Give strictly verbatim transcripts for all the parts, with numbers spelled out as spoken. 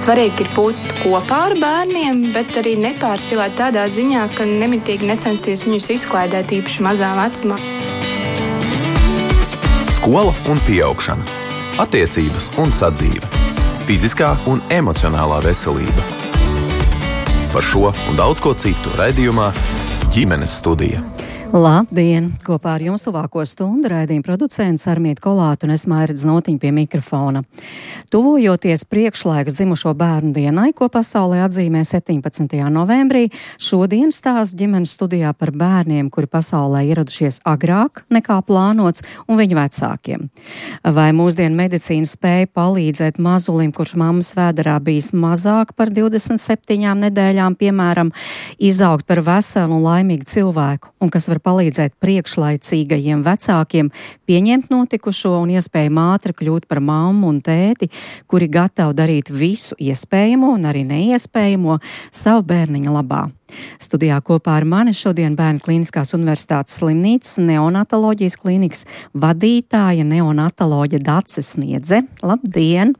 Svarīgi ir būt kopā ar bērniem, bet arī nepārspīlēt tādā ziņā, ka nemitīgi necensties viņus izklaidēt īpaši mazā vecumā. Skola un pieaugšana, attiecības un sadzīve, fiziskā un emocionālā veselība. Par šo un daudz ko citu raidījumā Ģimenes studija. Labdien! Kopā ar jums tuvāko stundu raidījuma producents Armīta Kolāte un es Mairida Znotiņa pie mikrofona. Tuvojoties priekšlaiks dzimušo bērnu dienai, ko pasaulē atzīmē septiņpadsmitajā novembrī, šodien stāsta ģimenes studijā par bērniem, kuri pasaulē ieradušies agrāk nekā plānots, un viņu vecākiem. Vai mūsdienu medicīna spēja palīdzēt mazulim, kurš mammas vēderā bijis mazāk par divdesmit septiņām nedēļām, piemēram, izaugt par veselu un laimīgu cilvēku, un kas var palīdzēt priekšlaicīgajiem vecākiem pieņemt notikušo un iespējami ātri kļūt par mammu un tēti, kuri gatavi darīt visu iespējamo un arī neiespējamo savu bērniņa labā. Studijā kopā ar mani šodien Bērnu Kliniskās Universitātes slimnīcas neonatoloģijas klīnikas vadītāja neonatoloģe Dace Sniedze. Labdien!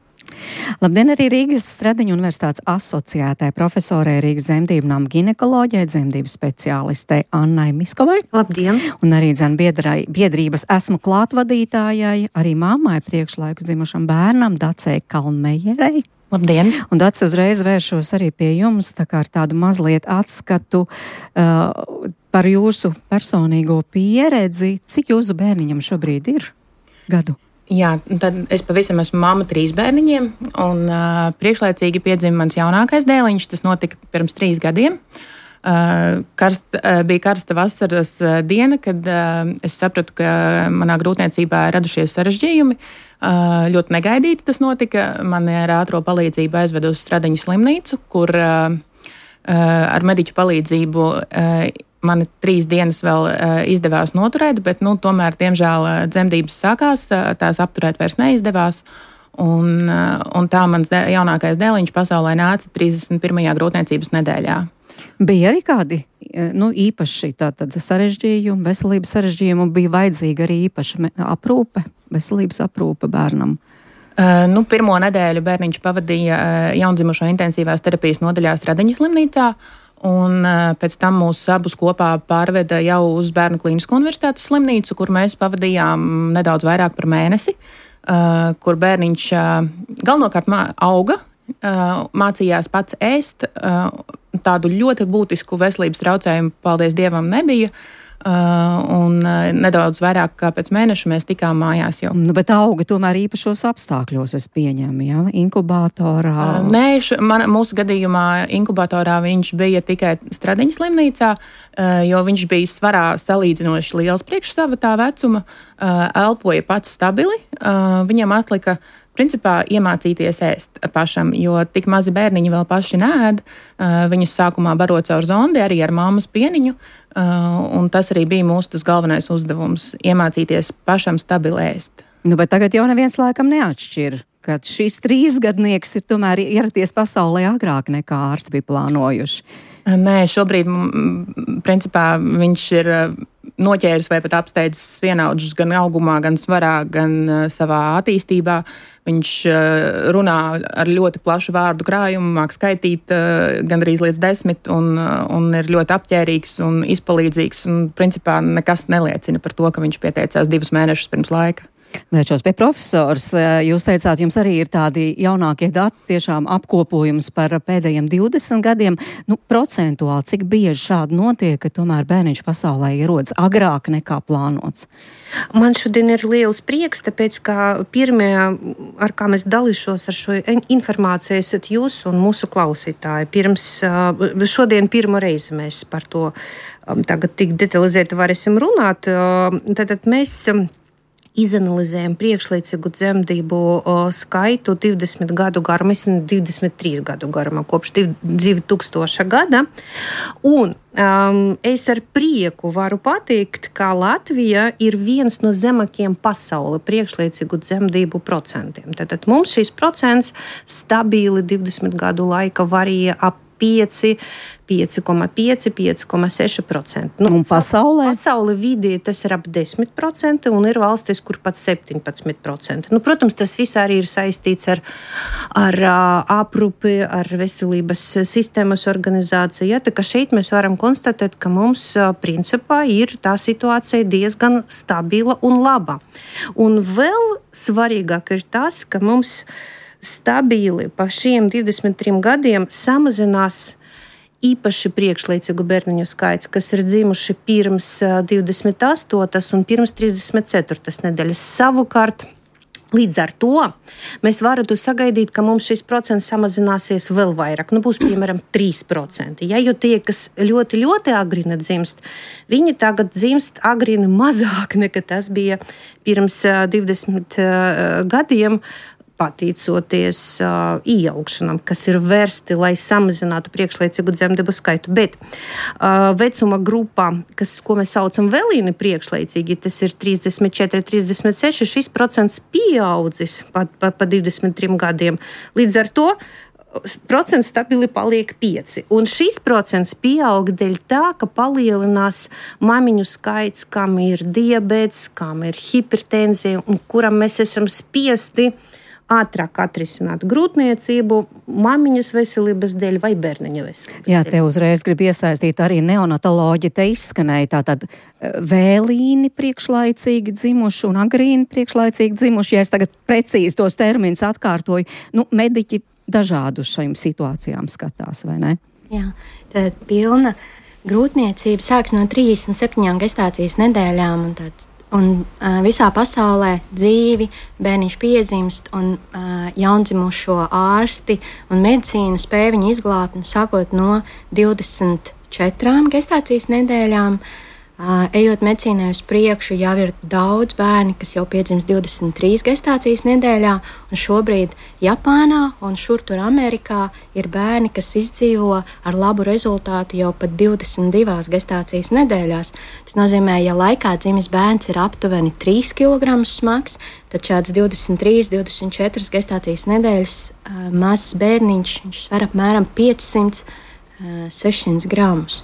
Labdien arī Rīgas Stradiņu Universitātes asociētai profesorei Rīgas dzemdību nama ginekoloģijai, dzemdību speciālistei Annai Miskovai. Labdien! Un arī dzen biedrai, biedrības esmu klātvadītājai, arī mammai priekšlaiku dzimušam bērnam Dacei Kalnmejerei. Labdien! Un Dace, uzreiz vēršos arī pie jums, tā kā ar tādu mazliet atskatu uh, par jūsu personīgo pieredzi. Cik jūsu bērniņam šobrīd ir gadu? Jā, tad es pavisam esmu mamma trīs bērniņiem, un uh, priekšlaicīgi piedzima mans jaunākais dēliņš. Tas notika pirms trīs gadiem. Uh, karst, uh, bija karsta vasaras uh, diena, kad uh, es sapratu, ka manā grūtniecībā ir radušies sarežģījumi. Uh, ļoti negaidīti tas notika. Mani ar ātro palīdzību aizveda uz Stradiņu slimnīcu, kur uh, uh, ar mediķu palīdzību uh, mani trīs dienas vēl uh, izdevās noturēt, bet, nu, tomēr, diemžēl, uh, dzemdības sākās, uh, tās apturēt vairs neizdevās. Un, uh, un tā mans de- jaunākais dēliņš pasaulē nāca trīsdesmit pirmajā grūtniecības nedēļā. Bija arī kādi nu, īpaši tātad sarežģījumi, veselības sarežģījumi, un bija vajadzīga arī īpaša aprūpe, veselības aprūpe bērnam? Uh, nu, pirmo nedēļu bērniņš pavadīja uh, jaundzimušo intensīvās terapijas nodaļā Stradiņu slimnīcā. Un pēc tam mūs abus kopā pārveda jau uz Bērnu Klinisko Universitātes slimnīcu, kur mēs pavadījām nedaudz vairāk par mēnesi, kur bērniņš galvenokārt auga, mācījās pats ēst. Tādu ļoti būtisku veselības traucējumu, paldies Dievam, nebija. Uh, un uh, nedaudz vairāk kā pēc mēneša mēs tikām mājās jau. Nu, bet auga tomēr īpašos apstākļos, es pieņemu, ja? Inkubatorā? Uh, nē, š, man, mūsu gadījumā inkubatorā viņš bija tikai Stradiņu slimnīcā, uh, jo viņš bija svarā salīdzinoši liels priekš sava tā vecuma, uh, elpoja pats stabili, uh, viņam atlika principā iemācīties ēst pašam, jo tik mazi bērniņi vēl paši neēd. Viņus sākumā baro caur zondi, arī ar mammas pieniņu, un tas arī bija mūsu tas galvenais uzdevums - iemācīties pašam stabili ēst. Nu, bet tagad jau neviens laikam neatšķir, ka šis trīsgadnieks ir tomēr ieradies pasaulē agrāk nekā ārsti bija plānojuši. Nē, šobrīd, principā, viņš ir noķēris vai pat apsteidzis vienaudžus gan augumā, gan svarā, gan savā attīstībā. Viņš runā ar ļoti plašu vārdu krājumu, māk skaitīt gandrīz līdz desmit un, un ir ļoti apģērīgs un izpalīdzīgs. Un, principā, nekas neliecina par to, ka viņš pieteicās divus mēnešus pirms laika. Vēršos pie profesors. Jūs teicāt, jums arī ir tādi jaunākie dati, tiešām apkopojums par pēdējiem divdesmit gadiem. Nu, procentuāli, cik bieži šādi notiek, ka tomēr bērniņš pasaulē ierodas agrāk nekā plānots? Man šodien ir liels prieks, tāpēc, ka pirmie, ar kā mēs dalīšos ar šo informāciju, esat jūs un mūsu klausītāji. Pirms, šodien pirmo reizi mēs par to tagad tik detalizēti varēsim runāt. Tātad mēs izanalizējam priekšlaicīgu dzemdību skaitu divdesmit gadu garumā, divdesmit trīs gadu garumā, kopš divi tūkstošā gada. Un um, es ar prieku varu pateikt, ka Latvija ir viens no zemākajiem pasaulē priekšlaicīgu dzemdību procentiem. Tātad mums šīs procents stabili divdesmit gadu laika varīja ap pieci, pieci komats pieci, pieci komats seši procenti. Nu, un pasaulē? Pasaulē vidēji tas ir ap desmit procenti un ir valstis, kur pat septiņpadsmit procenti. Nu, protams, tas viss arī ir saistīts ar, ar aprūpi, ar veselības sistēmas organizāciju. Ja, tā kā šeit mēs varam konstatēt, ka mums principā ir tā situācija diezgan stabila un laba. Un vēl svarīgāk ir tas, ka mums stabili pa šiem divdesmit trim gadiem samazinās īpaši priekšlaicīgu bērniņu skaits, kas ir dzimuši pirms divdesmit astotas un pirms trīsdesmit ceturtas nedēļas. Savukārt, līdz ar to mēs varētu sagaidīt, ka mums šis procents samazināsies vēl vairāk. Nu, būs, piemēram, trīs procenti. Ja, jo tie, kas ļoti, ļoti agrini dzimst, viņi tagad dzimst agrini mazāk nekā tas bija pirms divdesmit gadiem, pateicoties uh, iejaukšanām, kas ir vērsti, lai samazinātu priekšlaicīgu dzemdību skaitu. Bet uh, vecuma grupā, kas, ko mēs saucam vēlīni priekšlaicīgi, tas ir trīsdesmit četri, trīsdesmit seši, šis procents pieaudzis pa, pa, pa divdesmit trim gadiem. Līdz ar to procents stabili paliek pieci. Un šis procents pieaug dēļ tā, ka palielinās mamiņu skaits, kam ir diabēts, kam ir hipertenzija un kuram mēs esam spiesti ātrāk atrisināt grūtniecību, mamiņas veselības dēļ vai bērniņa veselības Jā, dēļ. te uzreiz grib iesaistīt arī neonatoloģi, te izskanēja tātad vēlīni priekšlaicīgi dzimuši un agrīni priekšlaicīgi dzimuši. Ja es tagad precīzi tos terminus atkārtoju, nu, mediķi dažādu šajām situācijām skatās, vai ne? Jā, tad pilna grūtniecība sāks no trīsdesmit septiņām gestācijas nedēļām un tāds. Un uh, visā pasaulē dzīvi bērniņš piedzimst, un uh, jaundzimušo ārsti un medicīna spēj viņu izglābt, nu, sākot no divdesmit četrām gestācijas nedēļām. Uh, ejot medicīnai uz priekšu, jau ir daudz bērni, kas jau piedzimst divdesmit trīs gestācijas nedēļā, un šobrīd Japānā un šur tur Amerikā ir bērni, kas izdzīvo ar labu rezultātu jau pat divdesmit divās gestācijas nedēļās. Tas nozīmē, ja laikā dzimis bērns ir aptuveni trīs kilogramus smags, tad šāds divdesmit trīs, divdesmit četras gestācijas nedēļas uh, mazs bērniņš, viņš sver apmēram piecsimt, sešsimt gramus.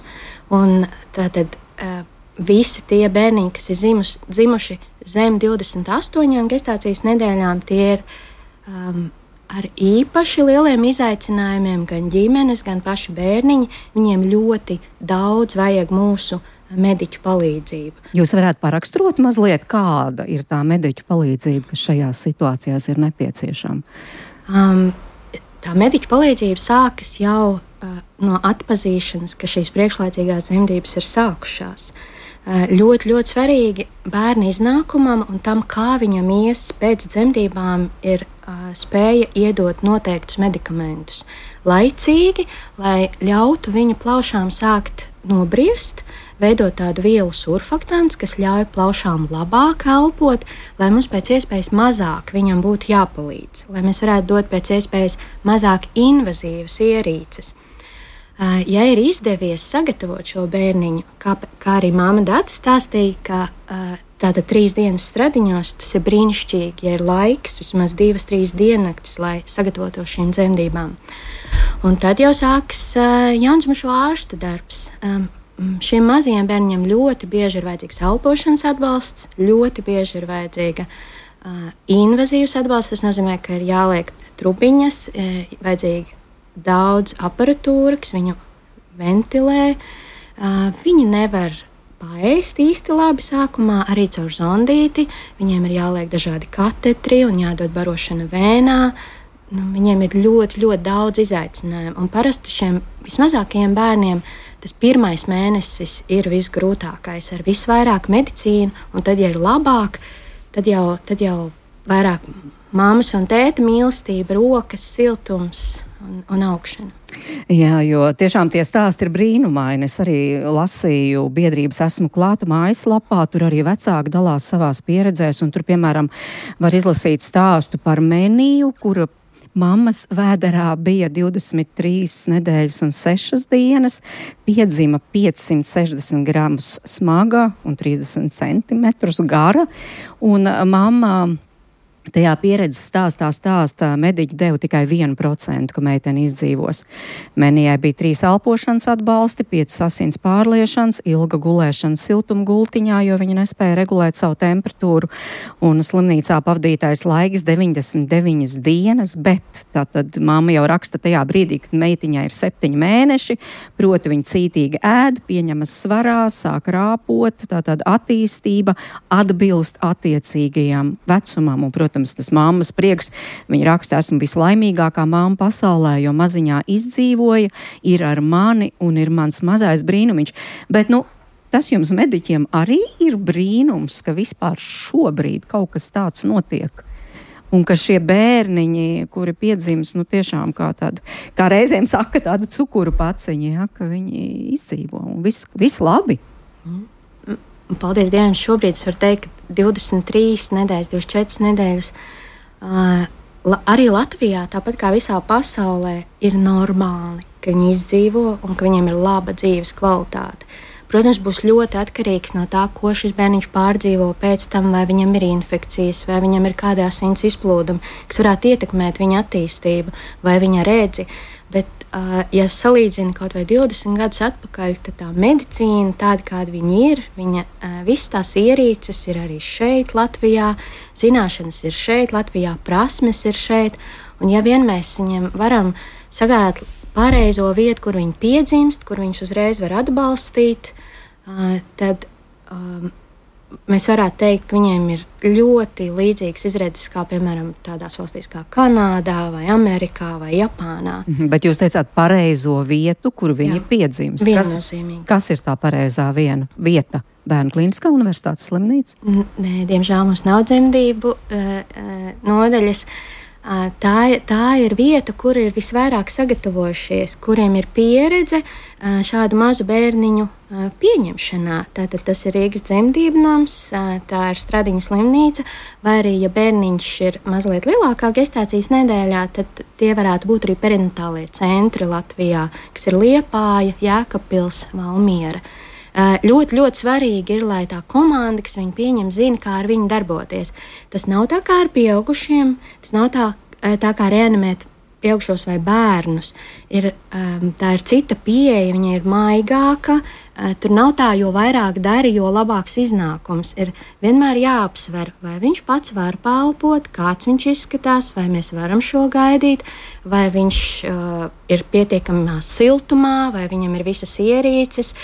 Un tātad uh, visi tie bērniņi, kas ir zimus, dzimuši zem divdesmit astoņām gestācijas nedēļām, tie ir um, ar īpaši lieliem izaicinājumiem, gan ģimenes, gan paši bērniņi. Viņiem ļoti daudz vajag mūsu mediķu palīdzību. Jūs varētu paraksturot mazliet, kāda ir tā mediķu palīdzība, kas šajās situācijās ir nepieciešama? Um, tā mediķu palīdzība sākas jau uh, no atpazīšanas, ka šīs priekšlaicīgās dzemdības ir sākušās. Ļoti, ļoti svarīgi bērna iznākumam un tam, kā viņam ies pēc dzemdībām, ir uh, spēja iedot noteiktus medikamentus laicīgi, lai ļautu viņa plaušām sākt nobriest, veidot tādu vielu surfaktantu, kas ļauj plaušām labāk elpot, lai mums pēc iespējas mazāk viņam būtu jāpalīdz, lai mēs varētu dot pēc iespējas mazāk invazīvas ierīces. Ja ir izdevies sagatavot šo bērniņu, kā, kā arī māma Data stāstīja, ka tātad trīs dienas stradiņos tas ir brīnišķīgi, ja ir laiks, vismaz divas, trīs diennaktis, lai sagatavotu šīm dzemdībām. Un tad jau sākas jaundzimušo ārstu darbs. Šiem mazajiem bērniem ļoti bieži ir vajadzīgs elpošanas atbalsts, ļoti bieži ir vajadzīga invazīvs atbalsts. Tas nozīmē, ka ir jāliek trubiņas, vajadzīga daudz aparatūra, kas viņu ventilē. Uh, viņi nevar paēst īsti labi sākumā, arī caur zondīti. Viņiem ir jāliek dažādi katetri un jādod barošana vēnā. Nu, viņiem ir ļoti, ļoti daudz izaicinājumu. Un parasti šiem vismazākajiem bērniem tas pirmais mēnesis ir visgrūtākais, ar visvairāk medicīnu, un tad, ja ir labāk, tad jau, tad jau vairāk māmas un tēta mīlestība, rokas, siltums un, un augšana. Jā, jo tiešām tie stāsti ir brīnumaini. Es arī lasīju biedrības Esmu klāta mājaslapā, tur arī vecāki dalās savās pieredzēs, un tur, piemēram, var izlasīt stāstu par Meniju, kura mammas vēderā bija divdesmit trīs nedēļas un sešas dienas, piedzima piecsimt sešdesmit gramus smaga un trīsdesmit centimetrus gara, un mamma Tajā pieredzes stāstā stāstā mediķi deva tikai vienu procentu, ka meitene izdzīvos. Menijai bija trīs elpošanas atbalsti, piecas asins pārliešanas, ilga gulēšana siltuma gultiņā, jo viņa nespēja regulēt savu temperatūru, un slimnīcā pavadītais laiks deviņdesmit deviņas dienas, bet tātad mamma jau raksta tajā brīdī, kad meitiņai ir septiņi mēneši, proti viņa cītīgi ēd, pieņemas svarā, sāk rāpot, tātad attīstība atbilst attiecīgajam vecumam, un, protams, Protams, tas mammas prieks, viņa raksta, esmu vislaimīgākā mamma pasaulē, jo maziņā izdzīvoja, ir ar mani un ir mans mazais brīnumiņš. Bet, nu, tas jums mediķiem arī ir brīnums, ka vispār šobrīd kaut kas tāds notiek. Un ka šie bērniņi, kuri piedzims, nu tiešām kā tādi, kā reizēm saka, tādu cukuru paciņi, ja, ka viņi izdzīvo un viss, viss labi. Mm. Paldies Dievam, šobrīd es varu teikt, ka divdesmit trīs nedēļas, divdesmit četras nedēļas uh, la, arī Latvijā, tāpat kā visā pasaulē, ir normāli, ka viņi izdzīvo un ka viņiem ir laba dzīves kvalitāte. Protams, būs ļoti atkarīgs no tā, ko šis bērniņš pārdzīvo pēc tam, vai viņam ir infekcijas, vai viņam ir kādā asins izplūdumi, kas varētu ietekmēt viņa attīstību vai viņa redzi. Bet, uh, ja salīdzina kaut vai divdesmit gadus atpakaļ, tad tā medicīna, tāda kāda viņa ir, viņa uh, visas tās ierīces ir arī šeit, Latvijā, zināšanas ir šeit, Latvijā prasmes ir šeit, un ja vien mēs viņiem varam sagādāt pareizo vietu, kur viņi piedzimst, kur viņus uzreiz var atbalstīt, uh, tad um, mēs varētu teikt, ka viņiem ir ļoti līdzīgas izredzes, kā piemēram tādās valstīs kā Kanādā, vai Amerikā, vai Japānā. Mhm, bet jūs teicāt pareizo vietu, kur viņi Jā, piedzimst. Viennozīmīgi. Kas, kas ir tā pareizā viena vieta? Bērnu klīniskā universitātes slimnīca? Nē, diemžēl mums nav dzemdību uh, uh, nodaļas. Uh, tā, tā ir vieta, kur ir visvairāk sagatavojušies, kuriem ir pieredze uh, šādu mazu bērniņu uh, pieņemšanā. Tātad tas ir Rīgas dzemdību nams, uh, tā ir Stradiņa slimnīca, vai arī, ja bērniņš ir mazliet lielākā gestācijas nedēļā, tad tie varētu būt arī perinatālie centri Latvijā, kas ir Liepāja, Jēkabpils, Valmiera. Uh, ļoti, ļoti svarīgi ir, lai tā komanda, kas viņu pieņem, zina, kā ar viņu darboties. Tas nav tā kā ar pieaugušiem, tas nav tā, tā kā reanimēt pieaugušos vai bērnus. Ir, um, tā ir cita pieeja, viņa ir maigāka, uh, tur nav tā, jo vairāk dari, jo labāks iznākums. Ir vienmēr jāapsver, vai viņš pats var palpot, kāds viņš izskatās, vai mēs varam šo gaidīt, vai viņš uh, ir pietiekamā siltumā, vai viņam ir visas ierīces.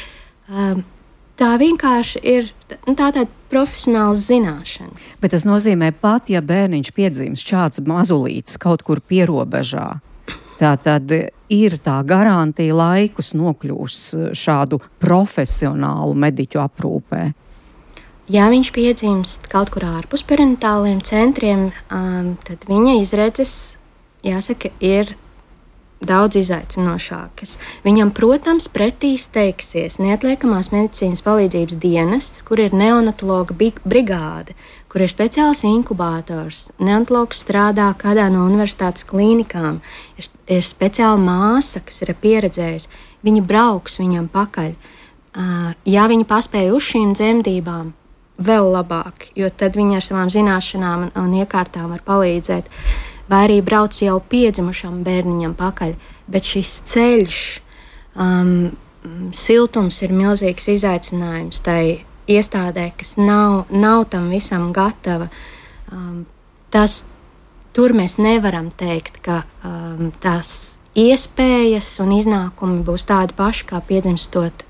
Tā vienkārši ir tā, tāda profesionāls zināšanas. Bet tas nozīmē pat, ja bērniņš piedzimst šāds mazulīts kaut kur pierobežā, tā tad ir tā garantija laikus nokļūs šādu profesionālu mediķu aprūpē. Ja viņš piedzimst kaut kur ārpus perinatāliem centriem, um, tad viņa izredzes, jāsaka, ir daudz izaicinošākas. Viņam, protams, pretī steigsies neatliekamās medicīnas palīdzības dienests, kur ir neonatologa brigāde, kur ir speciāls inkubātors. Neonatologs strādā kādā no universitātes klīnikām. Ir, ir speciāla māsa, kas ir pieredzējusi. Viņi brauks viņam pakaļ. Uh, ja viņi paspēja uz šīm dzemdībām, vēl labāk, jo tad viņi ar savām zināšanām un, un iekārtām var palīdzēt. Vai arī brauc jau piedzimušam bērniņam pakaļ. Bet šis ceļš, um, siltums ir milzīgs izaicinājums tai iestādē, kas nav, nav tam visam gatava. Um, tas, tur mēs nevaram teikt, ka um, tās iespējas un iznākumi būs tādi paši, kā piedzimstot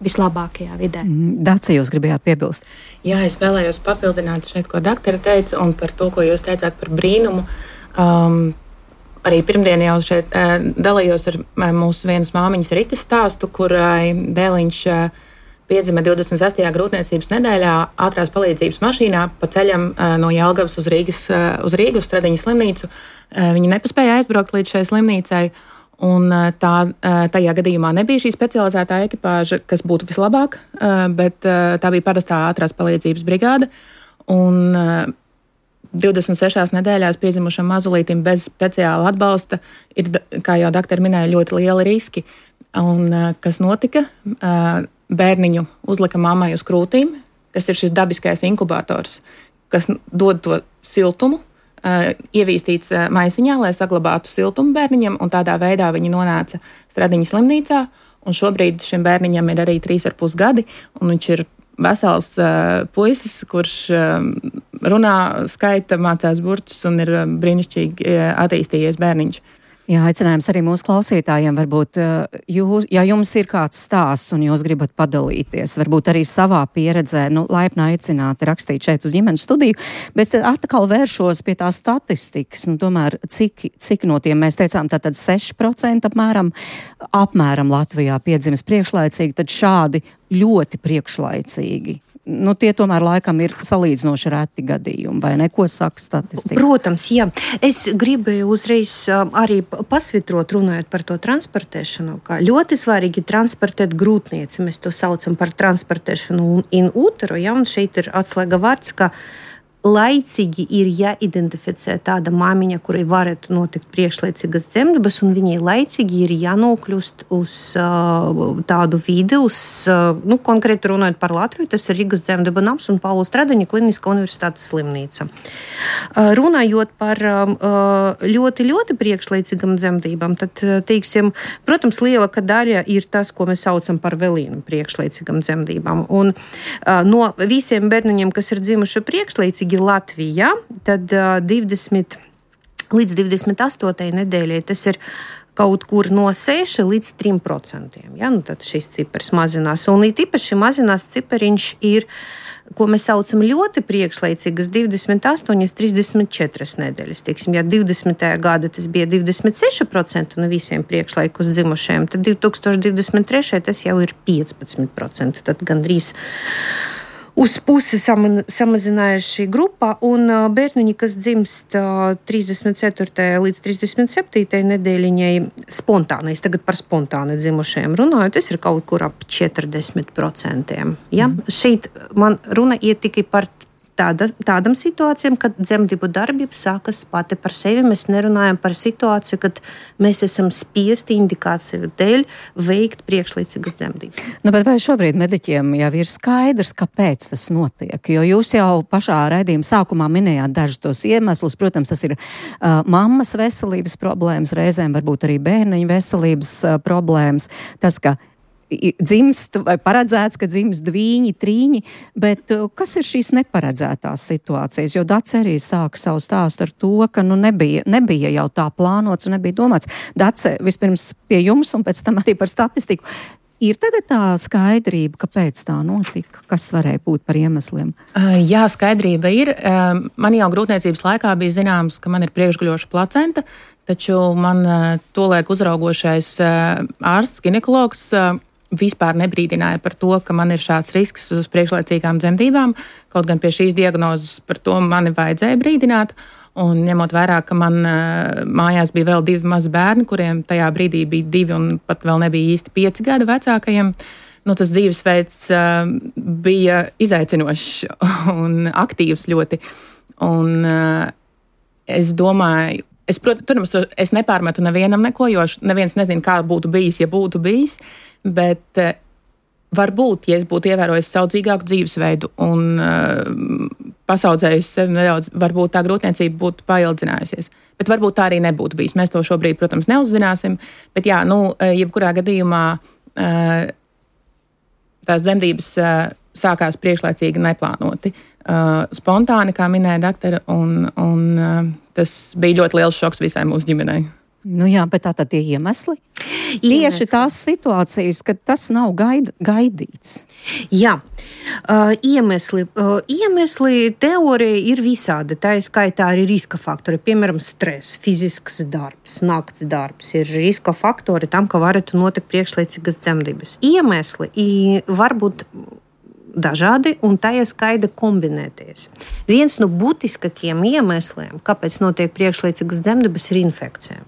vislabākajā vidē. Daci, jūs gribējāt piebilst? Jā, es vēlējos papildināt šeit, ko doktora teica, un par to, ko jūs teicāt par brīnumu. Um, arī pirmdien jau šeit uh, dalījos ar uh, mūsu vienas māmiņas Ritas stāstu, kurai dēliņš uh, piedzima divdesmit sestajā grūtniecības nedēļā ātrās palīdzības mašīnā pa ceļam uh, no Jelgavas uz Rīgas, uh, uz Rīgu, uz Stradiņa slimnīcu. Uh, viņi nepaspēja aizbraukt līdz šai slimnīcai. Un tā, tajā gadījumā nebija šī specializētā ekipāža, kas būtu vislabāk, bet tā bija parastā ātrās palīdzības brigāde. Un divdesmit sešās nedēļās piedzimušam mazulītim bez speciāla atbalsta ir, kā jau doktori minēja, ļoti lieli riski. Un kas notika? Bērniņu uzlika mammai uz krūtīm, kas ir šis dabiskais inkubators, kas dod to siltumu, ievīstīts maisiņā, lai saglabātu siltumu bērniņam, un tādā veidā viņi nonāca Stradiņas slimnīcā, un šobrīd šim bērniņam ir arī trīs ar pus gadi, un viņš ir vesels uh, puisis, kurš uh, runā, skaita, mācās burtus un ir brīnišķīgi uh, attīstījies bērniņš. Jā, aicinājums arī mūsu klausītājiem. Varbūt, jūs, ja jums ir kāds stāsts un jūs gribat padalīties, varbūt arī savā pieredzē, nu, laipni aicināti rakstīt šeit uz ģimenes studiju, bet atkal vēršos pie tā statistikas, nu, tomēr, cik, cik no tiem mēs teicām, tātad seši procenti apmēram, apmēram Latvijā piedzimis priekšlaicīgi, tad šādi ļoti priekšlaicīgi. Nu, tie tomēr laikam ir salīdzinoši reti gadījumi, vai ne? Ko saka statistika? Protams, jā. Es gribēju uzreiz arī pasvitrot, runājot par to transportēšanu, kā ļoti svarīgi transportēt grūtnieci. Mēs to saucam par transportēšanu in utero, ja, un šeit ir atslēga vārds, ka laicīgi ir jāidentificē tāda māmiņa, kurai varētu notikt priekšlaicīgas dzemdības, un viņai laicīgi ir jānokļūst uz uh, tādu vidi, uz, uh, nu, konkrēti runājot par Latviju, tas ir Rīgas dzemdību nams un Paula Stradiņa Kliniskā universitātes slimnīca. Uh, runājot par uh, ļoti, ļoti priekšlaicīgam dzemdībām, tad, teiksim, protams, lielākā daļa ir tas, ko mēs saucam par velīnu priekšlaicīgam dzemdībām. Un uh, no visiem bērniņiem, kas ir dzimuši priekšlaicīgi Latvijā, tad uh, divdesmit līdz divdesmit astotajai nedēļai tas ir kaut kur no seši līdz trim procentiem. Ja? Nu, tad šis cipars mazinās. Un īpaši mazinās cipariņš ir, ko mēs saucam ļoti priekšlaicīgas, divdesmit astoņi līdz trīsdesmit četri nedēļas. Teiksim, ja divdesmitajā gada tas bija divdesmit seši procenti no visiem priekšlaikus dzimušajiem, tad divi tūkstoši divdesmit trešajā tas jau ir piecpadsmit procenti. Tad gandrīz uz pusi samazinājuši šī grupa, un bērniņi, kas dzimst trīsdesmit ceturtajai līdz trīsdesmit septītajai nedēļiņai spontānais, tagad par spontāni dzimušajiem runāju, tas ir kaut kur ap četrdesmit procentiem. Ja? Mm. Šeit man runa iet tikai par Tāda, tādam situācijām, kad dzemdību darbība sākas pati par sevi. Mēs nerunājam par situāciju, kad mēs esam spiesti indikāciju dēļ veikt priekšlaicīgas dzemdības. Nu, bet vai šobrīd mediķiem jau ir skaidrs, kāpēc tas notiek? Jo jūs jau pašā raidījuma sākumā minējāt dažus tos iemeslus. Protams, tas ir uh, mammas veselības problēmas, reizēm varbūt arī bērniņu veselības uh, problēmas. Tas, ka dzimst vai paredzēts, ka dzimst dvīņi, trīņi, bet kas ir šīs neparedzētās situācijas? Jo Dace arī sāka savu stāstu ar to, ka nu nebija, nebija jau tā plānots un nebija domāts. Dace, vispirms pie jums un pēc tam arī par statistiku. Ir tagad tā skaidrība, kāpēc tā notika? Kas varēja būt par iemesliem? Jā, skaidrība ir. Man jau grūtniecības laikā bija zināms, ka man ir priekšguļoša placenta, taču man tolaik uzraugošais ārsts, ginekologs, vispār nebrīdināja par to, ka man ir šāds risks uz priekšlaicīgām dzemdībām, kaut gan pie šīs diagnozes par to mani vajadzēja brīdināt. Un ņemot vērā, ka man uh, mājās bija vēl divi mazi bērni, kuriem tajā brīdī bija divi un pat vēl nebija īsti pieci gadi vecākajiem, nu, tas dzīvesveids uh, bija izaicinošs un aktīvs ļoti. Un uh, es domāju, es, protams, es nepārmetu nevienam neko, jo neviens nezina, kā būtu bijis, ja būtu bijis. Bet uh, varbūt, ja es būtu ievērojis saudzīgāku dzīvesveidu un uh, pasaudzējusi sevi nedaudz, varbūt tā grūtniecība būtu paildzinājusies. Bet varbūt tā arī nebūtu bijis. Mēs to šobrīd, protams, neuzzināsim. Bet jā, nu, jebkurā gadījumā uh, tās dzemdības uh, sākās priekšlaicīgi neplānoti. Uh, spontāni, kā minēja doktora, un, un uh, tas bija ļoti liels šoks visai mūsu ģimenei. Nu jā, bet tā tad tie iemesli? Tieši tās situācijas, kad tas nav gaid, gaidīts. Jā, uh, iemesli. Uh, iemesli teorija ir visādi. Tā ir skaitā arī riska faktori. Piemēram, stress, fizisks darbs, nakts darbs ir riska faktori tam, ka varētu notikt priekšlaicīgas dzemdības. Iemesli var būt dažādi, un tā ir skaidri kombinēties. Viens no būtiskākajiem iemesliem, kāpēc notiek priekšlaicīgas dzemdības, ir infekcija.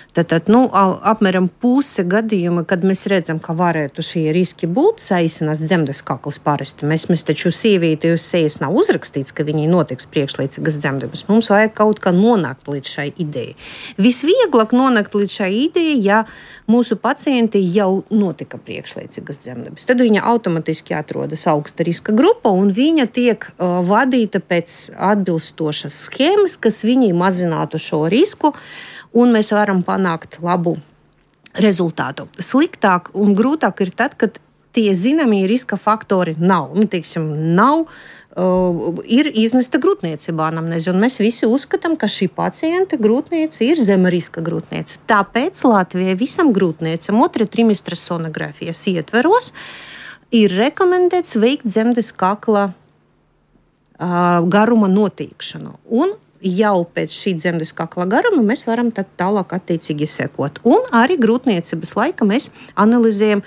Tātad, nu, apmēram puse gadījuma, kad mēs redzam, ka varētu šie riski būt saīsinās dzemdes kakls parasti. Mēs, mēs taču sievieti uz sejas nav uzrakstīts, ka viņai notiks priekšlaicīgas dzemdības. Mums vajag kaut kā nonākt līdz šai idejai. Visvieglāk nonākt līdz šai idejai, ja mūsu pacienti jau notika priekšlaicīgas dzemdības. Tad viņa automatiski atrodas augsta riska grupa un viņa tiek uh, vadīta pēc atbilstošas schēmas, kas viņai mazinātu šo risku. Un mēs varam panākt labu rezultātu. Sliktāk un grūtāk ir tad, kad tie zināmie riska faktori nav. Nu, teiksim, nav, uh, ir iznesta grūtniecība anamnēze, un mēs visi uzskatām, ka šī pacienta grūtniece ir zema riska grūtniece. Tāpēc Latvijai visam grūtniecam otrā trimestra sonogrāfijas ietveros ir rekomendēts veikt dzemdes kakla uh, garuma noteikšanu. Un jau pēc šī dzemdes kakla garuma mēs varam tad tālāk attiecīgi sekot. Un arī grūtniecības laika mēs analizējam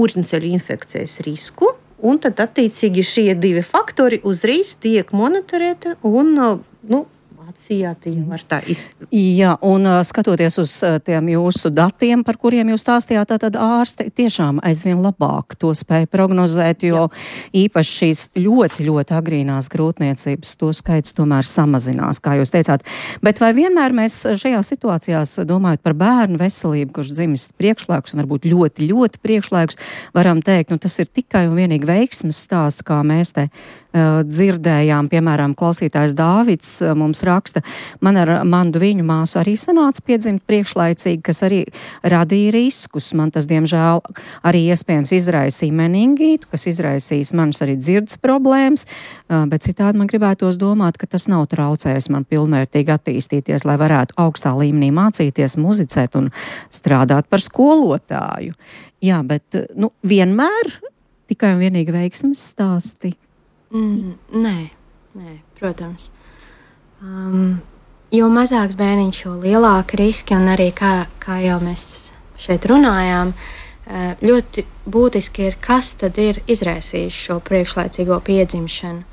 ūrņceļu infekcijas risku, un tad attiecīgi šie divi faktori uzreiz tiek monitorēti un, nu, atsījāti jau var tā izdarīt. Jā, un skatoties uz tiem jūsu datiem, par kuriem jūs stāstījāt, tad ārsti tiešām aizvien labāk to spēja prognozēt, jo Jā. īpaši šīs ļoti, ļoti agrīnās grūtniecības to skaits tomēr samazinās, kā jūs teicāt. Bet vai vienmēr mēs šajā situācijās, domājot par bērnu veselību, kurš dzimis priekšlaikus un varbūt ļoti, ļoti priekšlaikus, varam teikt, nu tas ir tikai un vienīgi veiksmes stāsts, kā mēs te uh, dzirdējām, piemēram, klausītājs Dāvids uh, mums raksta, man ar mandu viņu māsu arī sanāca piedzimt priekšlaicīgi, kas arī radīja riskus. Man tas, diemžēl, arī iespējams izraisīja meningītu, kas izraisīs manas arī dzirdes problēmas, bet citādi man gribētos domāt, ka tas nav traucējis man pilnvērtīgi attīstīties, lai varētu augstā līmenī mācīties, muzicēt un strādāt par skolotāju. Jā, bet, nu, vienmēr tikai un vienīgi veiksmes stāsti? Mm, nē, nē, protams. Um, jo mazāks bērniņš, jo lielāka riski, un arī kā, kā jau mēs šeit runājām, ļoti būtiski ir, kas tad ir izraisījis šo priekšlaicīgo piedzimšanu.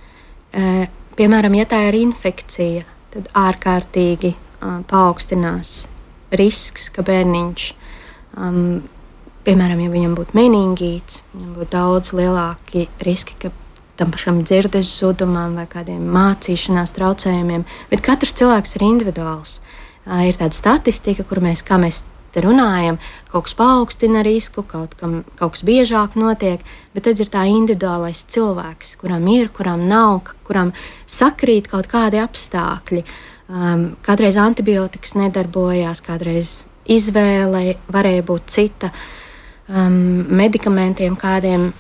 Piemēram, ja tā ir infekcija, tad ārkārtīgi paaugstinās risks, ka bērniņš, um, piemēram, ja viņam būtu meningīts, viņam būtu daudz lielāki riski, ka tam pašam dzirdes zudumam vai kādiem mācīšanās traucējumiem, bet katrs cilvēks ir individuāls. Uh, ir tāda statistika, kur mēs, kā mēs te runājam, kaut kas paaugstina risku, kaut, kam, kaut kas biežāk notiek, bet tad ir tā individuālais cilvēks, kuram ir, kuram nav, kuram sakrīt kaut kādi apstākļi. Um, kādreiz antibiotikas nedarbojās, kādreiz izvēle varēja būt cita, um, medikamentiem kādiem.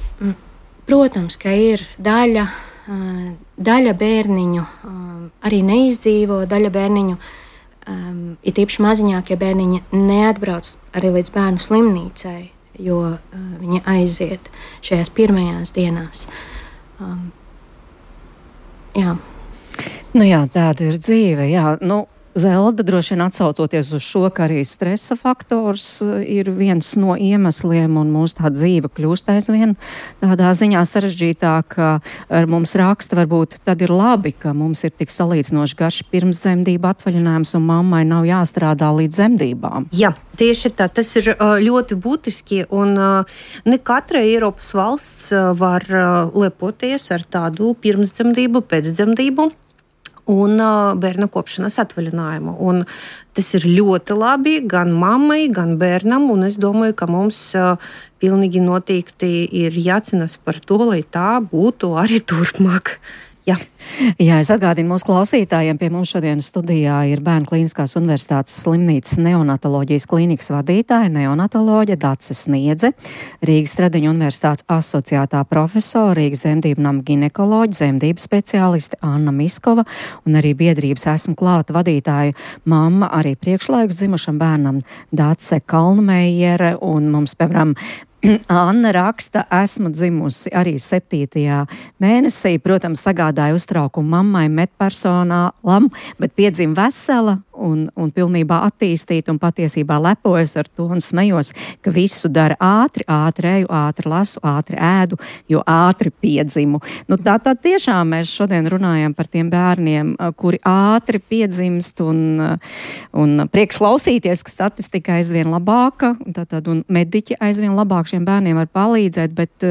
Protams, ka ir daļa, daļa bērniņu arī neizdzīvo, daļa bērniņu, it īpaši maziņākie bērniņi, neatbrauc arī līdz bērnu slimnīcai, jo viņi aiziet šajās pirmajās dienās. Jā. Nu jā, tāda ir dzīve, jā. Nu, Zelda, droši vien atsaucoties uz šo, ka arī stresa faktors ir viens no iemesliem un mūsu tā dzīve kļūst aizvien tādā ziņā sarežģītāk, ar mums raksta, varbūt tad ir labi, ka mums ir tik salīdzinoši garš pirmszemdību atvaļinājums un mammai nav jāstrādā līdz dzemdībām. Jā, tieši tā, tas ir ļoti būtiski un ne katra Eiropas valsts var lepoties ar tādu pirmszemdību, pēcdzemdību un uh, bērna kopšanas atvaļinājumu. Un tas ir ļoti labi gan mammai, gan bērnam, un es domāju, ka mums uh, pilnīgi noteikti ir jācīnās par to, lai tā būtu arī turpmāk. Jā. Jā, es atgādinu mūsu klausītājiem, pie mums šodien studijā ir Bērnu Klīniskās universitātes slimnīcas neonatoloģijas klīnikas vadītāja, neonatoloģe Dace Sniedze, Rīgas Stradiņu universitātes asociētā profesora, Rīgas dzemdību nama ginekoloģe, dzemdību speciāliste Anna Miskova un arī biedrības Esmu klāta vadītāja mamma arī priekšlaikus dzimušam bērnam Dace Kalnmejere, un mums, piemēram, Anna raksta, esmu dzimusi arī septītajā mēnesī, protams, sagādāja uztraukumu mammai, medpersonālam, bet piedzima vesela un, un pilnībā attīstīta un patiesībā lepojas ar to un smējos, ka visu dara ātri, ātri eju, ātri lasu, ātri ēdu, jo ātri piedzimu. Nu, tā tad tiešām mēs šodien runājam par tiem bērniem, kuri ātri piedzimst un, un priekšklausīties, ka statistika aizvien labāka, tātad un mediķi aizvien labāk šiem bērniem var palīdzēt, bet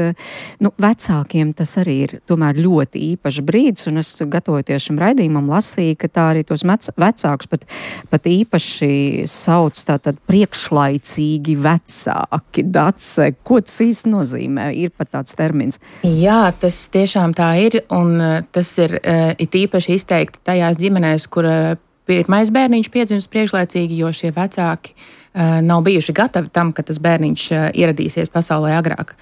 nu, vecākiem tas arī ir tomēr ļoti īpašs brīdis, un es gatavoties šim raidījumam lasīju, ka tā arī tos vecākus pat, pat īpaši sauc tātad priekšlaicīgi vecāki. Dace, ko tas īsti nozīmē? Ir pat tāds termins. Jā, tas tiešām tā ir, un tas ir it īpaši izteikti tajās ģimenēs, kur pirmais bērniņš piedzimst priekšlaicīgi, jo šie vecāki nav bijuši gatavi tam, ka tas bērniņš ieradīsies pasaulē agrāk.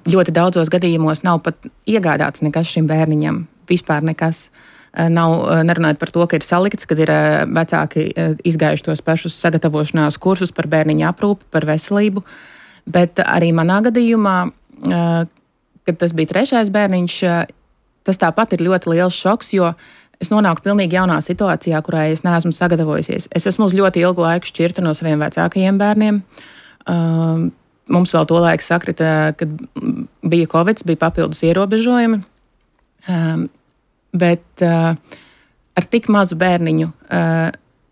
Ļoti daudzos gadījumos nav pat iegādāts nekas šim bērniņam, vispār nekas. Nav, nerunājot par to, ka ir salikts, kad ir vecāki izgājuši tos pašus sagatavošanās kursus par bērniņa aprūpi, par veselību, bet arī manā gadījumā, kad tas bija trešais bērniņš, tas tāpat ir ļoti liels šoks, jo es nonāku pilnīgi jaunā situācijā, kurā es neesmu sagatavojusies. Es esmu uz ļoti ilgu laiku šķirta no saviem vecākajiem bērniem. Mums vēl to laiku sakrita, kad bija Covid, bija papildus ierobežojumi. Bet ar tik mazu bērniņu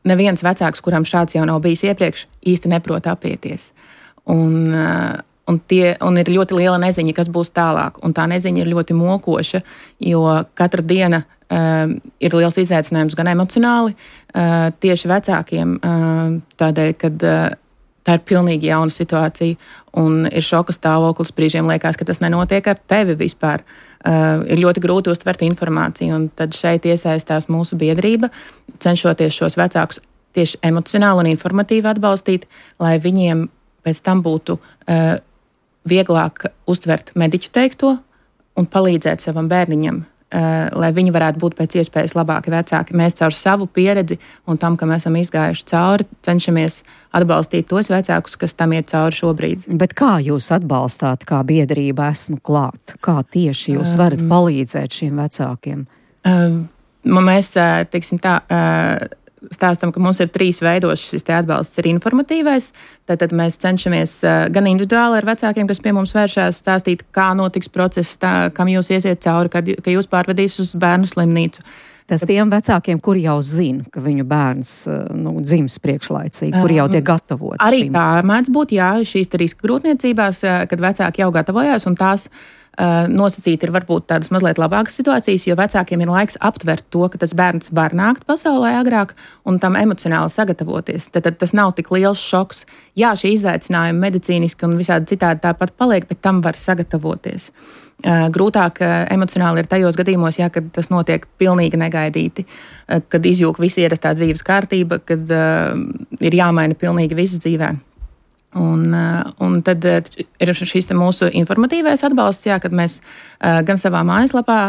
neviens vecāks, kuram šāds jau nav bijis iepriekš, īsti neprot apieties. Un, un, tie, un ir ļoti liela neziņa, kas būs tālāk. Un tā neziņa ir ļoti mokoša, jo katra diena Uh, ir liels izaicinājums gan emocionāli, uh, tieši vecākiem, uh, tādēļ, kad uh, tā ir pilnīgi jauna situācija un ir šoka stāvoklis. Brīžiem liekas, ka tas nenotiek ar tevi vispār. Uh, ir ļoti grūti uztvert informāciju, un tad šeit iesaistās mūsu biedrība, cenšoties šos vecākus tieši emocionāli un informatīvi atbalstīt, lai viņiem pēc tam būtu uh, vieglāk uztvert mediķu teikto un palīdzēt savam bērniņam, lai viņi varētu būt pēc iespējas labāki vecāki. Mēs caur savu pieredzi un tam, ka mēs esam izgājuši cauri, cenšamies atbalstīt tos vecākus, kas tam iet cauri šobrīd. Bet kā jūs atbalstāt, kā biedrība esmu klāt? Kā tieši jūs varat palīdzēt šiem vecākiem? Mēs, teiksim tā, stāstam, ka mums ir trīs veidos šis te atbalsts. Ir informatīvais, tātad mēs cenšamies gan individuāli ar vecākiem, kas pie mums vēršās, stāstīt, kā notiks process, tā, kam jūs iesiet cauri, kad, ka jūs pārvedīs uz bērnu slimnīcu. Tas tiem vecākiem, kuri jau zina, ka viņu bērns nu, dzims priekšlaicīgi, kuri jau tiek gatavoti. Arī šim. Tā mēdz būt, jā, šīs riska grūtniecībās, kad vecāki jau gatavojās, un tās Uh, nosacīti ir varbūt tādas mazliet labākas situācijas, jo vecākiem ir laiks aptvert to, ka tas bērns var nākt pasaulē agrāk un tam emocionāli sagatavoties. Tad, tad tas nav tik liels šoks. Jā, šie izaicinājumi medicīniski un visādi citādi tāpat paliek, bet tam var sagatavoties. Uh, grūtāk uh, emocionāli ir tajos gadījumos, jā, kad tas notiek pilnīgi negaidīti, uh, kad izjūg visa ierastā dzīves kārtība, kad uh, ir jāmaina pilnīgi viss dzīvē. Un, un tad ir šīs mūsu informatīvais atbalsts, jā, kad mēs gan savā mājaslapā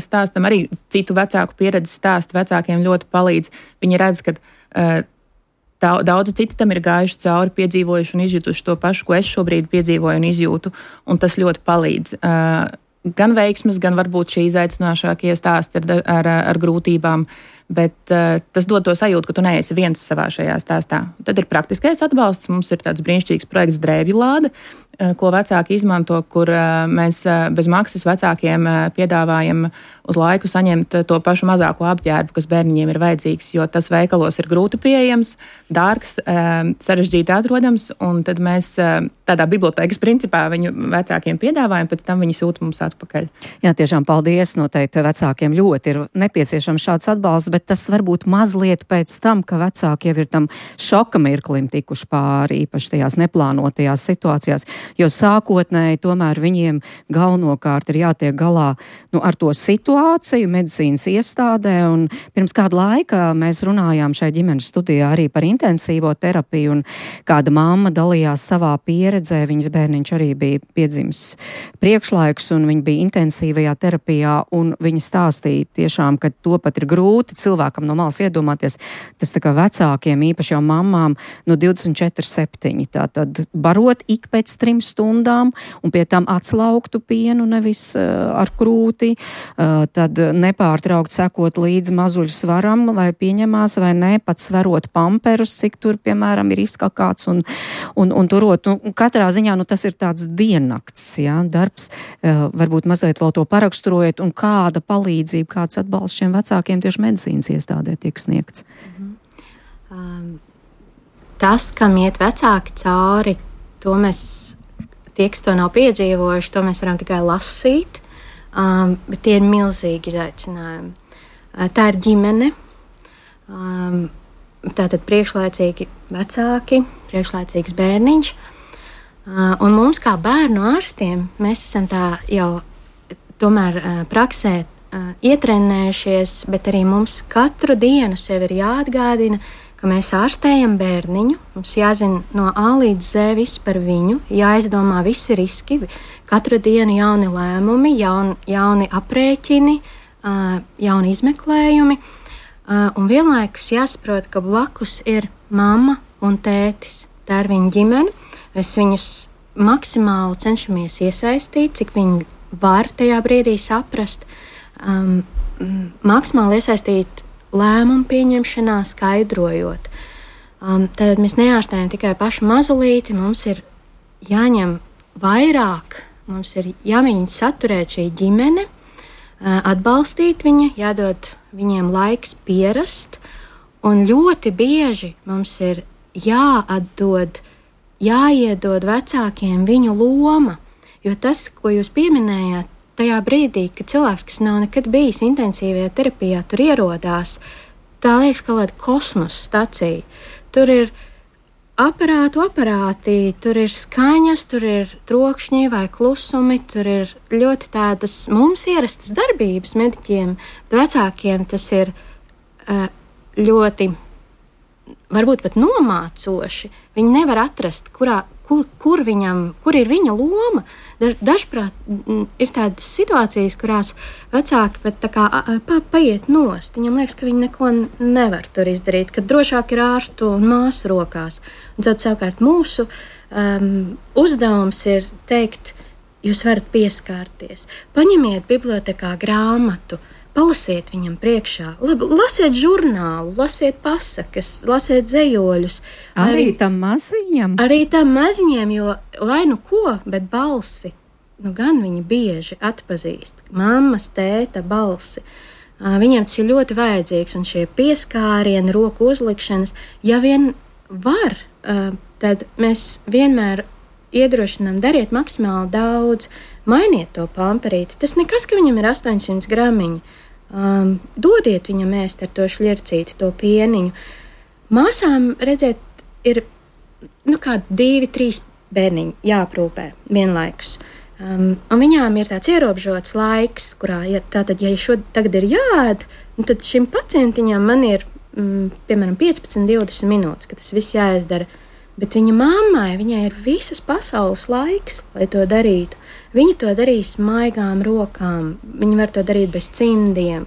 stāstam, arī citu vecāku pieredzi stāstu vecākiem ļoti palīdz. Viņi redz, ka daudzi citi tam ir gājuši cauri, piedzīvojuši un izjutuši to pašu, ko es šobrīd piedzīvoju un izjūtu, un tas ļoti palīdz. Gan veiksmes, gan varbūt šie izaicinošākie stāsti ar, ar, ar grūtībām, bet uh, tas dod to sajūtu, ka tu neesi viens savā šajā stāstā. Tad ir praktiskais atbalsts. Mums ir tāds brīnišķīgs projekts Drēbju lāde, uh, ko vecāki izmanto, kur uh, mēs uh, bez maksas vecākiem uh, piedāvājam uz laiku saņemt uh, to pašu mazāko apģērbu, kas bērniņiem ir vajadzīgs, jo tas veikalos ir grūti pieejams, dārgs, uh, sarežģīti atrodams, un tad mēs uh, tādā bibliotēkas principā viņu vecākiem piedāvājam, pēc tam viņi sūta mums atpakaļ. Jā, tiešām paldies. Noteikti vecākiem ļoti ir nepieciešams šāds atbalsts, bet tas varbūt mazliet pēc tam, ka vecāki jau ir tam šoka mirklim tikuši pāri, īpaši tajās neplānotajās situācijās, jo sākotnēji tomēr viņiem galvenokārt ir jātiek galā nu, ar to situāciju medicīnas iestādē, un pirms kāda laika mēs runājām šai ģimenes studijā arī par intensīvo terapiju, un kāda mamma dalījās savā pieredzē, viņas bērniņš arī bija piedzimis priekšlaiks, un viņa bija intensīvajā terapijā, un viņa stāstīja tiešām, ka to pat ir grūti cilvēkam no malas iedomāties, tas tā kā vecākiem, īpaši jau mammām, no divdesmit četri septiņi, tātad barot ik pēc trim stundām un pie tam atslauktu pienu, nevis uh, ar krūti, uh, tad nepārtraukt sekot līdzi mazuļu svaram, vai pieņemās vai ne, pat sverot pamperus, cik tur, piemēram, ir izkakāts un, un, un turot. Nu, katrā ziņā, nu, tas ir tāds diennakts, jā, darbs, uh, varbūt mazliet vēl to paraksturojot, un kāda palīdzība, kāds atbalsts šiem vecākiem tieši medicīnas iestādē tiek sniegts. Mm-hmm. um, tas, kam iet vecāki cauri, to mēs, tie, kas to nav piedzīvojuši, to mēs varam tikai lasīt, um, bet tie ir milzīgi izaicinājumi. Uh, tā ir ģimene, um, tātad priekšlaicīgi vecāki, priekšlaicīgs bērniņš, uh, un mums kā bērnu ārstiem, mēs esam tā jau tomēr uh, praksē uh, ietrenējušies, bet arī mums katru dienu sev ir jāatgādina, ka mēs ārstējam bērniņu, mums jāzina no A līdz Z viss par viņu, jāizdomā visi riski, katru dienu jauni lēmumi, jauni, jauni aprēķini, uh, jauni izmeklējumi, uh, un vienlaikus jāsaprot, ka blakus ir mamma un tētis. Tā ir viņa ģimene, mēs viņus maksimāli cenšamies iesaistīt, cik viņi var tajā brīdī saprast, um, maksimāli iesaistīt lēmumu pieņemšanā, skaidrojot. Um, tad mēs neārstējam tikai pašu mazulīti, mums ir jāņem vairāk, mums ir jāmēģina saturēt šī ģimene, uh, atbalstīt viņa, jādod viņiem laiks pierast, un ļoti bieži mums ir jāatdod, jāiedod vecākiem viņu loma. Jo tas, ko jūs pieminējāt, tajā brīdī, kad cilvēks, kas nav nekad bijis intensīvajā terapijā, tur ierodās, tā liekas kā kāda kosmosa stacija. Tur ir aparātu aparāti, tur ir skaņas, tur ir trokšņi vai klusumi, tur ir ļoti tādas mums ierastas darbības mediķiem, bet vecākiem tas ir uh, ļoti, varbūt pat nomācoši. Viņi nevar atrast, kurā, kur, kur, viņam, kur ir viņa loma. Dažprāt ir tādas situācijas, kurās vecāki pat tā kā pa, paiet nost. Viņam liekas, ka viņi neko nevar tur izdarīt, ka drošāk ir ārstu un māsu rokās. Un tad savukārt mūsu um, uzdevums ir teikt, jūs varat pieskārties. Paņemiet bibliotekā grāmatu, palasiet viņam priekšā, labi, lasiet žurnālu, lasiet pasakas, lasiet dzejoļus. Arī, arī tam maziņam? Arī tam maziņiem, jo lai nu ko, bet balsi, nu gan viņi bieži atpazīst. Mammas, tēta balsi. Viņiem tas ir ļoti vajadzīgs, un šie pieskārieni, roku uzlikšanas, ja vien var, tad mēs vienmēr iedrošinām, dariet maksimāli daudz, mainiet to pamperīti. Tas nekas, ka viņam ir astoņsimt gramiņi. Um, dodiet viņam ēst ar to šļircīti, to pieniņu. Māsām, redzēt, ir nu, kādi divi, trīs bērniņi jāaprūpē vienlaikus. Um, un viņām ir tāds ierobežots laiks, kurā, ja, tātad, ja šo tagad ir jāēd, tad šim pacientiņam man ir, mm, piemēram, piecpadsmit, divdesmit minūtes, ka tas viss jāizdara. Bet viņa mammai, viņai ir visas pasaules laiks, lai to darītu. Viņa to darīs maigām rokām, viņa var to darīt bez cimdiem.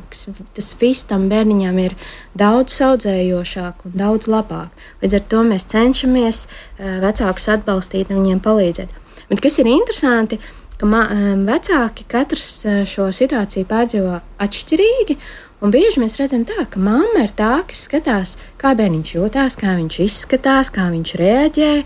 Tas viss tam bērniņam ir daudz saudzējošāk un daudz labāk. Līdz ar to mēs cenšamies vecākus atbalstīt un viņiem palīdzēt. Bet kas ir interesanti, ka vecāki katrs šo situāciju pārdzīvo atšķirīgi, un bieži mēs redzam tā, ka mamma ir tā, kas skatās, kā bērniņš jūtās, kā viņš izskatās, kā viņš reaģē,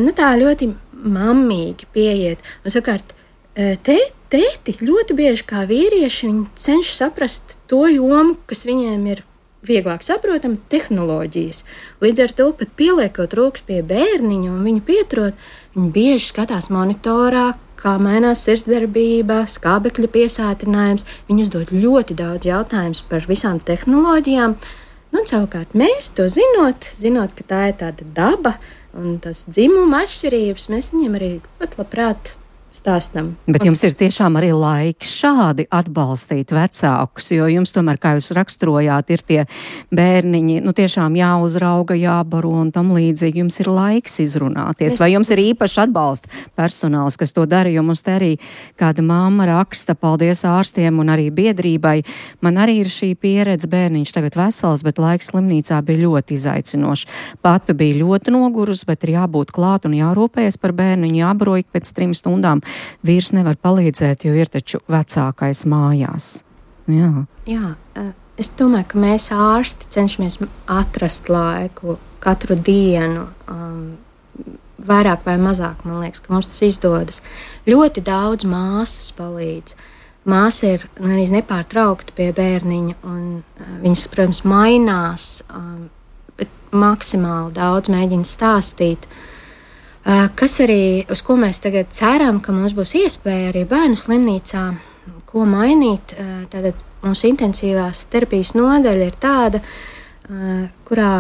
nu tā ļoti mammīgi pieiet. Un sakārt, tē, tēti ļoti bieži kā vīrieši, viņi cenšas saprast to jomu, kas viņiem ir vieglāk saprotama, tehnoloģijas. Līdz ar to pat pieliekot rokas pie bērniņa un viņu pieturot, viņi bieži skatās monitorā, kā mainās sirdsdarbība, skābekļa piesātinājums. Viņi uzdod ļoti daudz jautājumus par visām tehnoloģijām. Nu, un savukārt mēs to zinot, zinot, ka tā ir tāda daba un tas dzimuma atšķirības, mēs viņiem arī ļoti labprāt stāstam. Bet jums ir tiešām arī laiks šādi atbalstīt vecākus, jo jums tomēr, kā jūs raksturojāt, ir tie bērniņi, nu tiešām jāuzrauga, jābaro un tam līdzīgi. Jums ir laiks izrunāties, vai jums ir īpaši atbalsta personāls, kas to dara, jo mums te arī kāda mamma raksta, paldies ārstiem un arī biedrībai. Man arī ir šī pieredze, bērniņš tagad vesels, bet laiks slimnīcā bija ļoti izaicinošs. Patu bija ļoti nogurus, bet ir jābūt klāt un jārūpējas par bērniņu, jābaro ik pēc trim stundām. Vīrs nevar palīdzēt, jo ir taču vecākais mājās. Jā. Jā, es domāju, ka mēs ārsti cenšamies atrast laiku katru dienu, um, vairāk vai mazāk, man liekas, ka mums tas izdodas. Ļoti daudz māsas palīdz. Māsa ir arī nepārtraukti pie bērniņa, un uh, viņas, protams, mainās, um, bet maksimāli daudz mēģina stāstīt. Uh, kas arī, uz ko mēs tagad ceram, ka mums būs iespēja arī bērnu slimnīcā, ko mainīt. Uh, tātad mūsu intensīvās terapijas nodaļa ir tāda, uh, kurā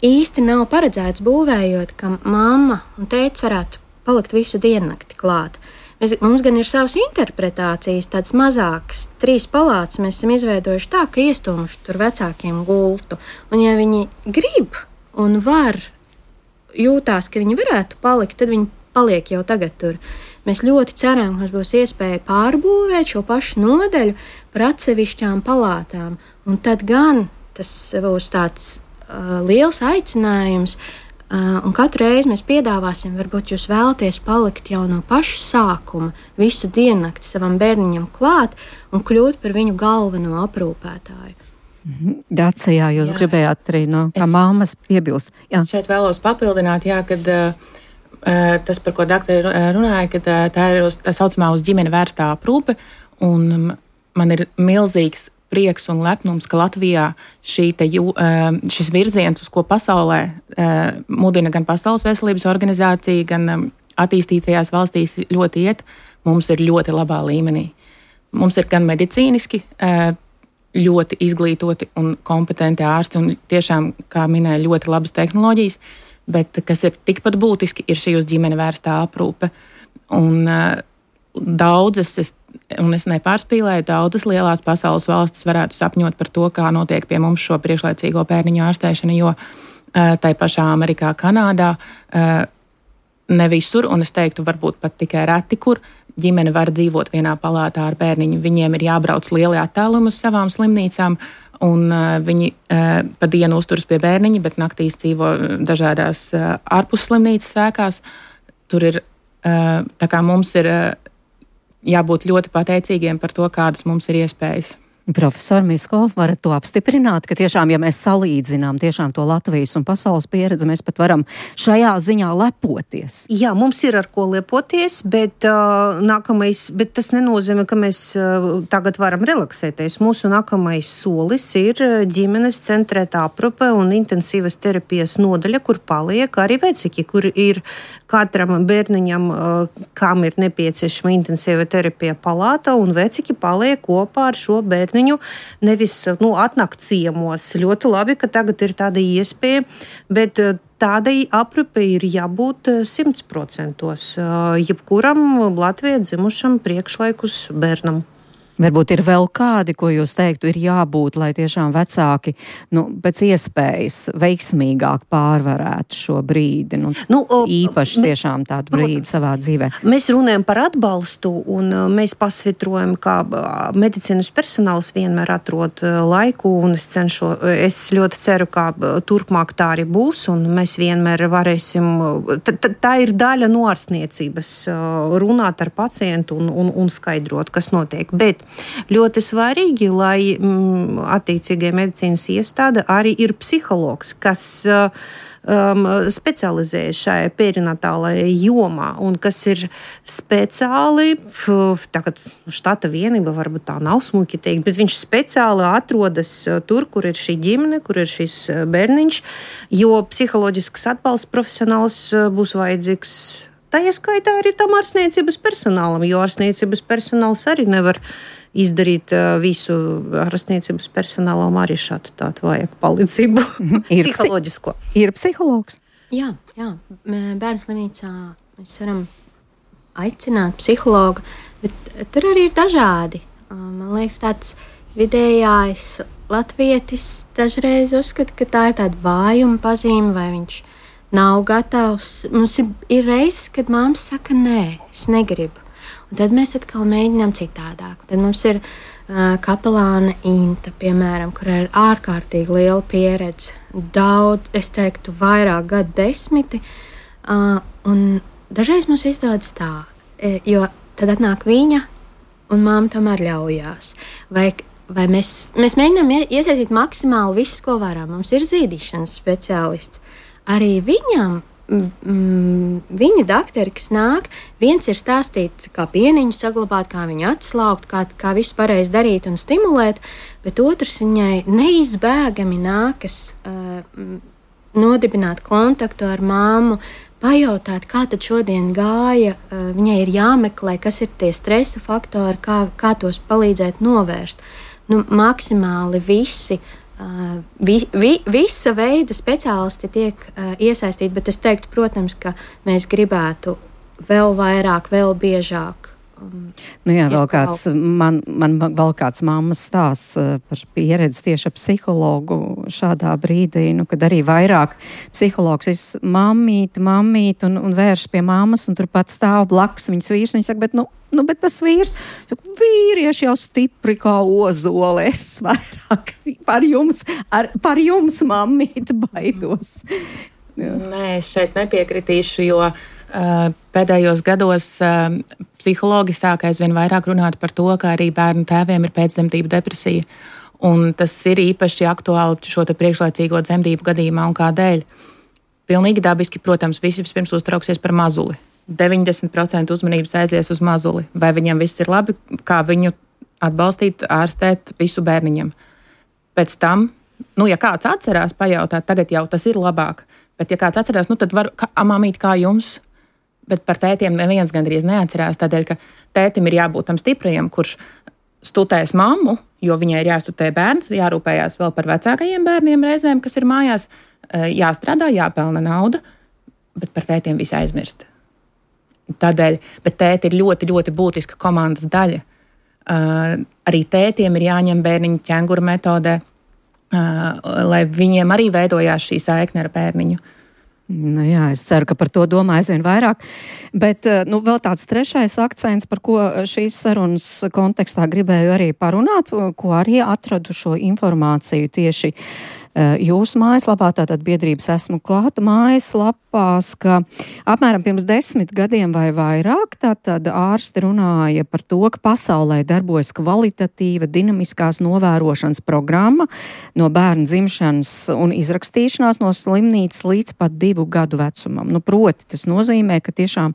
īsti nav paredzēts būvējot, ka mamma un tētis varētu palikt visu diennakti klāt. Mēs, mums gan ir savas interpretācijas, tādas mazākas, trīs palātas mēs esam izveidojuši tā, ka iestūmuši tur vecākiem gultu. Un ja viņi grib un var, jūtās, ka viņi varētu palikt, tad viņi paliek jau tagad tur. Mēs ļoti ceram, ka mums būs iespēja pārbūvēt šo pašu nodaļu par atsevišķām palātām. Un tad gan tas būs tāds uh, liels aicinājums, uh, un katru reizi mēs piedāvāsim, varbūt jūs vēlaties palikt jau no paša sākuma, visu diennakti savam bērniņam klāt un kļūt par viņu galveno aprūpētāju. Dacijā jūs jā. gribējāt arī no kā māmas piebilst. Jā. Šeit vēlos papildināt, jā, kad uh, tas, par ko doktori runāja, kad uh, tā ir uz, tā saucamā uz ģimeni vērstā aprūpe, un um, man ir milzīgs prieks un lepnums, ka Latvijā šī te, uh, šis virziens, uz ko pasaulē uh, mudina gan Pasaules veselības organizācija, gan um, attīstītajās valstīs ļoti iet, mums ir ļoti labā līmenī. Mums ir gan medicīniski uh, ļoti izglītoti un kompetenti ārsti un tiešām, kā minēja, ļoti labas tehnoloģijas, bet kas ir tikpat būtiski, ir šī uz ģimeni vērstā aprūpe. Un uh, daudzas, es, un es nepārspīlēju, daudzas lielās pasaules valstis varētu sapņot par to, kā notiek pie mums šo priekšlaicīgo bērniņu ārstēšana, jo uh, tai pašā Amerikā, Kanādā uh, ne visur, un es teiktu, varbūt pat tikai reti, kur ģimene var dzīvot vienā palātā ar bērniņu. Viņiem ir jābrauc lieli attālumi uz savām slimnīcām, un uh, viņi uh, pa dienu uzturas pie bērniņa, bet naktīs dzīvo dažādās uh, ārpus slimnīcas ēkās. Tur ir, uh, tā kā mums ir uh, jābūt ļoti pateicīgiem par to, kādas mums ir iespējas. Profesor Misko, varat to apstiprināt, ka tiešām, ja mēs salīdzinām tiešām to Latvijas un pasaules pieredzi, mēs pat varam šajā ziņā lepoties. Jā, mums ir ar ko lepoties, bet, uh, nākamais, bet tas nenozīmē, ka mēs uh, tagad varam relaksēties. Mūsu nākamais solis ir ģimenes centrētā aprūpe un intensīvas terapijas nodaļa, kur paliek arī vecāki, kur ir katram bērniņam, uh, kam ir nepieciešama intensīva terapija palāta, un vecāki paliek kopā ar šo bērniņu. Viņu nevis nu, atnākt ciemos. Ļoti labi, ka tagad ir tāda iespēja, bet tādai aprūpei ir jābūt simt procentos jebkuram Latvijā dzimušam priekšlaikus bērnam. Varbūt ir vēl kādi, ko jūs teiktu, ir jābūt, lai tiešām vecāki nu, pēc iespējas veiksmīgāk pārvarētu šo brīdi. Nu, nu, īpaši mēs, tiešām tādu brīdi nu, savā dzīvē. Mēs runājam par atbalstu un mēs pasvitrojam, ka medicīnas personāls vienmēr atrod laiku un es cenšu, es ļoti ceru, ka turpmāk tā arī būs un mēs vienmēr varēsim, t- t- tā ir daļa no ārstniecības, runāt ar pacientu un, un, un skaidrot, kas notiek. Bet ļoti svarīgi, lai mm, attiecīgai medicīnas iestāde arī ir psihologs, kas um, specializējas šajā perinatālajā jomā un kas ir speciāli, tagad štata vienība, varbūt tā nav smuki teikt, bet viņš speciāli atrodas tur, kur ir šī ģimene, kur ir šis bērniņš, jo psiholoģisks atbalsts profesionāls būs vajadzīgs. Tā ieskaitā arī tam ārstniecības personālam, jo ārstniecības personāls arī nevar izdarīt uh, visu. Ārstniecības personālam arī šādi tādu vajag palīdzību. Ir psiholoģisko. Ir psihologs? Jā, jā. Bērnu slimnīcā mēs varam aicināt psihologu, bet tur arī ir dažādi. Man liekas, tāds vidējais latvietis dažreiz uzskata, ka tā ir tāda vājuma pazīme, vai viņš nav gatavs. Mums ir, ir reizes, kad māma saka, nē, es negribu. Un tad mēs atkal mēģinām citādāk. Tad mums ir uh, kapelāna Inta, piemēram, kurai ir ārkārtīgi liela pieredze. Daudz, es teiktu, vairāk gadu desmiti. Uh, un dažreiz mums izdodas tā, jo tad atnāk viņa un māma tomēr ļaujās. Vai, vai mēs, mēs mēģinām iesaistīt maksimāli visus, ko varam. Mums ir zīdīšanas speciālists. Arī viņam, mm, viņa dakteri, kas nāk, viens ir stāstīt, kā pieniņu saglabāt, kā viņu atslaukt, kā, kā visu pareizi darīt un stimulēt, bet otrs viņai neizbēgami nākas uh, nodibināt kontaktu ar māmu, pajautāt, kā tad šodien gāja. Uh, viņai ir jāmeklē, kas ir tie stresa faktori, kā, kā tos palīdzēt novērst. Nu, maksimāli visi, uh, vi, vi, visa veida speciālisti tiek uh, iesaistīti, bet es teiktu, protams, ka mēs gribētu vēl vairāk, vēl biežāk. Um, nu jā, vēl kāds, man, man vēl kāds mammas stāsts uh, par pieredzi tieši ar psihologu šādā brīdī, nu, kad arī vairāk psihologs ir mammīt, mammīt un, un vērš pie mammas, un turpat stāv blakus viņas vīrs, un viņa saka, bet, nu, nu, bet tas vīrs, saka, vīrieši jau stipri kā ozole, es vairāk par jums, ar, par jums mammīt baidos. Jā. Nē, es šeit nepiekritīšu, jo Uh, pēdējos gados uh, psihologi sāka aizvien vairāk runāt par to, ka arī bērnu tēviem ir pēcdzemdību depresija. Un tas ir īpaši aktuāli šo te priekšlaicīgo dzemdību gadījumā un kādēļ. Pilnīgi dabiski, protams, visi vispirms uztrauksies par mazuli. deviņdesmit procenti uzmanības aizies uz mazuli. Vai viņam viss ir labi, kā viņu atbalstīt, ārstēt visu bērniņam. Pēc tam, nu, ja kāds atcerās pajautāt, tagad jau tas ir labāk, bet ja kāds atcerās, nu, tad var, kā, mamīt, kā jums? Bet par tētiem neviens gandrīz neatcerās, tādēļ, ka tētim ir jābūt tam stiprajam, kurš studēs mammu, jo viņai ir jāstudē bērns, jārūpējās vēl par vecākajiem bērniem reizēm, kas ir mājās, jāstrādā, jāpelna nauda, bet par tētiem visu aizmirst. Tādēļ, bet tēti ir ļoti, ļoti būtiska komandas daļa. Uh, arī tētiem ir jāņem bērniņu ķenguru metodē, uh, lai viņiem arī veidojās šī saikne ar bērniņu. Nu jā, es ceru, ka par to domā aizvien vairāk, bet nu, vēl tāds trešais akcents, par ko šīs sarunas kontekstā gribēju arī parunāt, ko arī atradu šo informāciju tieši jūsu mājaslapā, tātad biedrības esmu klāta mājaslapās, ka apmēram pirms desmit gadiem vai vairāk, tātad ārsti runāja par to, ka pasaulē darbojas kvalitatīva dinamiskās novērošanas programma no bērna dzimšanas un izrakstīšanās no slimnīcas līdz pat divu gadu vecumam. Nu, proti, tas nozīmē, ka tiešām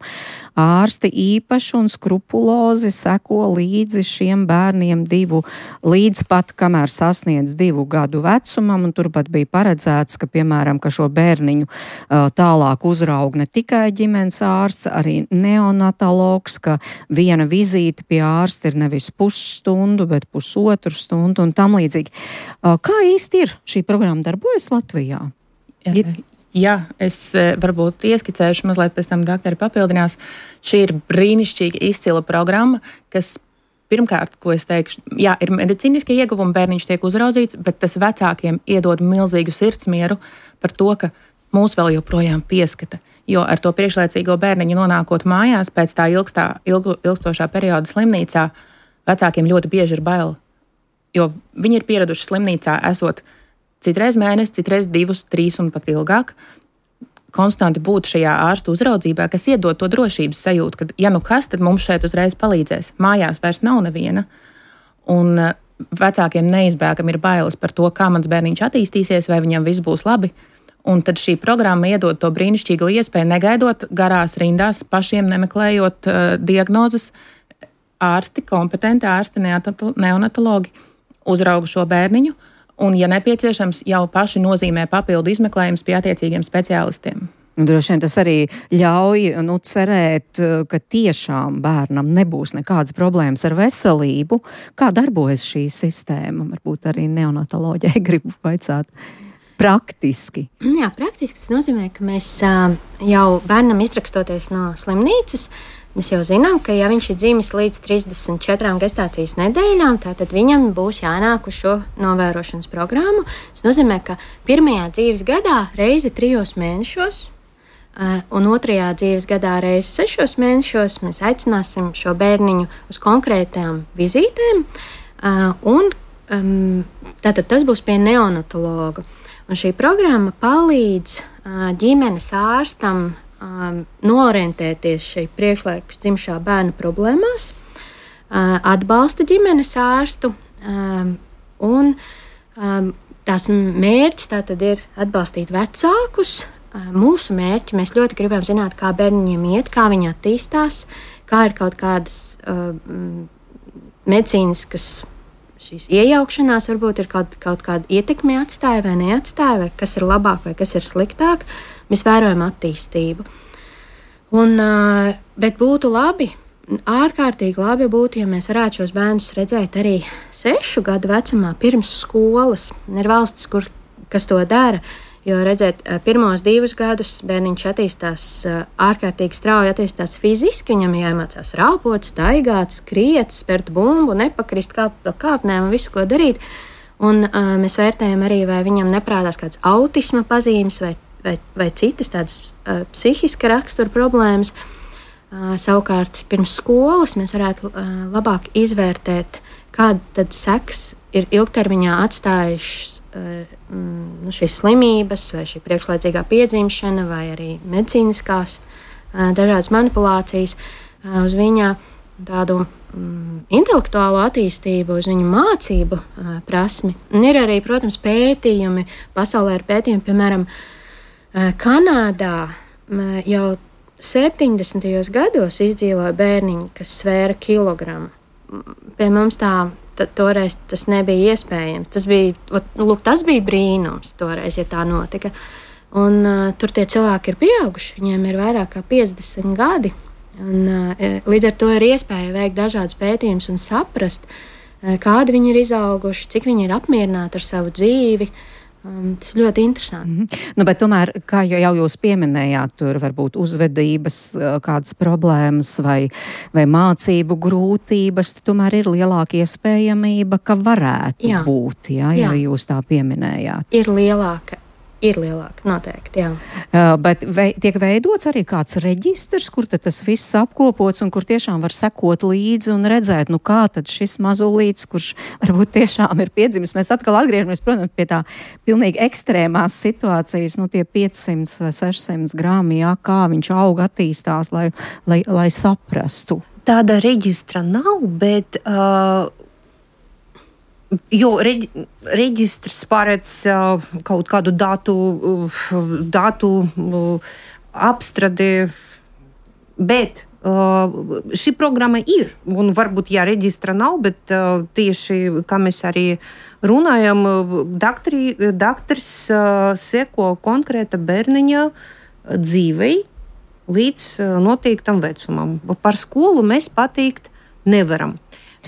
ārsti īpaši un skrupulozi seko līdzi šiem bērniem divu līdz pat, kamēr sasniedz divu gadu vecumam, un tur pat bija paredzēts, ka, piemēram, ka šo bērniņu uh, tālāk uzraug ne tikai ģimenes ārsts, arī neonatologs, ka viena vizīte pie ārsta ir nevis pusstundu, bet pusotru stundu un tam līdzīgi. Uh, kā īsti ir šī programma darbojas Latvijā? Jā, jā, es varbūt ieskicēšu, mazliet pēc tam daktari papildinās. Šī ir brīnišķīga izcila programma, kas pirmkārt, ko es teikšu, jā, ir medicīniskie ieguvumi, bērniņš tiek uzraudzīts, bet tas vecākiem iedod milzīgu sirdsmieru par to, ka mūs vēl joprojām pieskata. Jo ar to priekšlaicīgo bērniņu nonākot mājās pēc tā ilgstā, ilgu, ilgstošā perioda slimnīcā, vecākiem ļoti bieži ir bail. Jo viņi ir pieraduši slimnīcā esot citreiz mēnesi, citreiz divus, trīs un pat ilgāk. Konstanti būt šajā ārstu uzraudzībā, kas iedod to drošības sajūtu, ka, ja nu kas, tad mums šeit uzreiz palīdzēs. Mājās vairs nav neviena. Un vecākiem neizbēgami ir bailes par to, kā mans bērniņš attīstīsies, vai viņam viss būs labi. Un tad šī programma iedod to brīnišķīgo iespēju, negaidot garās rindās, pašiem nemeklējot uh, diagnozes. Ārsti, kompetenti ārsti, neonatologi uzrauga šo bērniņu. Un, ja nepieciešams, jau paši nozīmē papildu izmeklējumus pie attiecīgiem speciālistiem. Droši vien tas arī ļauj nu, cerēt, ka tiešām bērnam nebūs nekādas problēmas ar veselību. Kā darbojas šī sistēma? Varbūt arī neonatoloģijai gribu vaicāt. Praktiski. Jā, praktiski tas nozīmē, ka mēs jau bērnam izrakstoties no slimnīcas, Mēs jau zinām, ka ja viņš ir dzimis līdz trīsdesmit četrām gestācijas nedēļām, tad viņam būs jānāk uz šo novērošanas programmu. Tas nozīmē, ka pirmajā dzīves gadā reizi trijos mēnešos un otrajā dzīves gadā reizi sešos mēnešos mēs aicināsim šo bērniņu uz konkrētām vizītēm. Un, tātad tas būs pie neonatologa. Un šī programma palīdz ģimenes ārstam Um, noorientēties šī priekšlaikus dzimšā bērna problēmās, uh, atbalsta ģimenes ārstu, um, un um, tās mērķis tātad ir atbalstīt vecākus. Uh, mūsu mērķi, mēs ļoti gribam zināt, kā bērniņiem iet, kā viņi attīstās, kā ir kaut kādas uh, medicīniskas šīs iejaukšanās, varbūt ir kaut, kaut kāda ietekme atstāja vai neatstāja, vai kas ir labāk vai kas ir sliktāk. Mēs vērojam attīstību. Un, bet būtu labi, ārkārtīgi labi būtu, ja mēs varētu šos bērnus redzēt arī sešu gadu vecumā, pirms skolas. Ir valstis, kur, kas to dara, jo redzēt, pirmos divus gadus bērniņš attīstās ārkārtīgi strauji, attīstās fiziski, viņam jāiemācās rāpot, staigāt, skriet, spērt bumbu, nepakrist kāp, kāpnēm un visu, ko darīt. Un uh, mēs vērtējam arī, vai viņam neprādās kāds autisma pazīmes vai Vai, vai citas tādas uh, psihiska rakstura problēmas. Uh, savukārt, pirms skolas mēs varētu uh, labāk izvērtēt, kāda tad seks ir ilgtermiņā atstājušas uh, mm, šīs slimības, vai šī priekšlaicīgā piedzimšana, vai arī medicīniskās uh, dažādas manipulācijas uh, uz viņa tādu mm, intelektuālo attīstību, uz viņa mācību uh, prasmi. Un ir arī, protams, pētījumi, pasaulē ir pētījumi, piemēram, Kanādā jau septiņdesmitajos gados izdzīvoja bērniņi, kas svēra kilogramu. Pie mums tā, tā toreiz tas nebija iespējams. Tas bija, lūk, tas bija brīnums toreiz, ja tā notika. Un, uh, tur tie cilvēki ir pieauguši, viņiem ir vairāk kā piecdesmit gadi. Un, uh, līdz ar to ir iespēja veikt dažādas pētījumus un saprast, uh, kādi viņi ir izauguši, cik viņi ir apmierināti ar savu dzīvi. Um, tas ir ļoti interesanti. Mm-hmm. Nu, bet tomēr, kā jau jūs pieminējāt, tur var būt uzvedības kādas problēmas vai, vai mācību grūtības, tomēr ir lielāka iespējamība, ka varētu jā. būt, jā, jā. ja jūs tā pieminējāt. Ir lielāka. Ir lielāka, noteikti, jā. Uh, bet vei, tiek veidots arī kāds reģistrs, kur tad tas viss apkopots un kur tiešām var sekot līdzi un redzēt, nu kā tad šis mazulīts, kurš varbūt tiešām ir piedzimis. Mēs atkal atgriežamies, protams, pie tā pilnīgi ekstrēmās situācijas, nu tie piecsimt vai sešsimt grami, jā, kā viņš aug, attīstās, lai, lai, lai saprastu. Tāda reģistra nav, bet... Uh... Jo reģi, reģistrs paredz uh, kaut kādu datu, uh, datu uh, apstradi, bet uh, šī programma ir. Un varbūt, ja reģistra nav, bet uh, tieši, kā mēs arī runājam, daktri, daktris uh, seko konkrēta bērniņa dzīvei līdz uh, noteiktam vecumam. Par skolu mēs pateikt nevaram.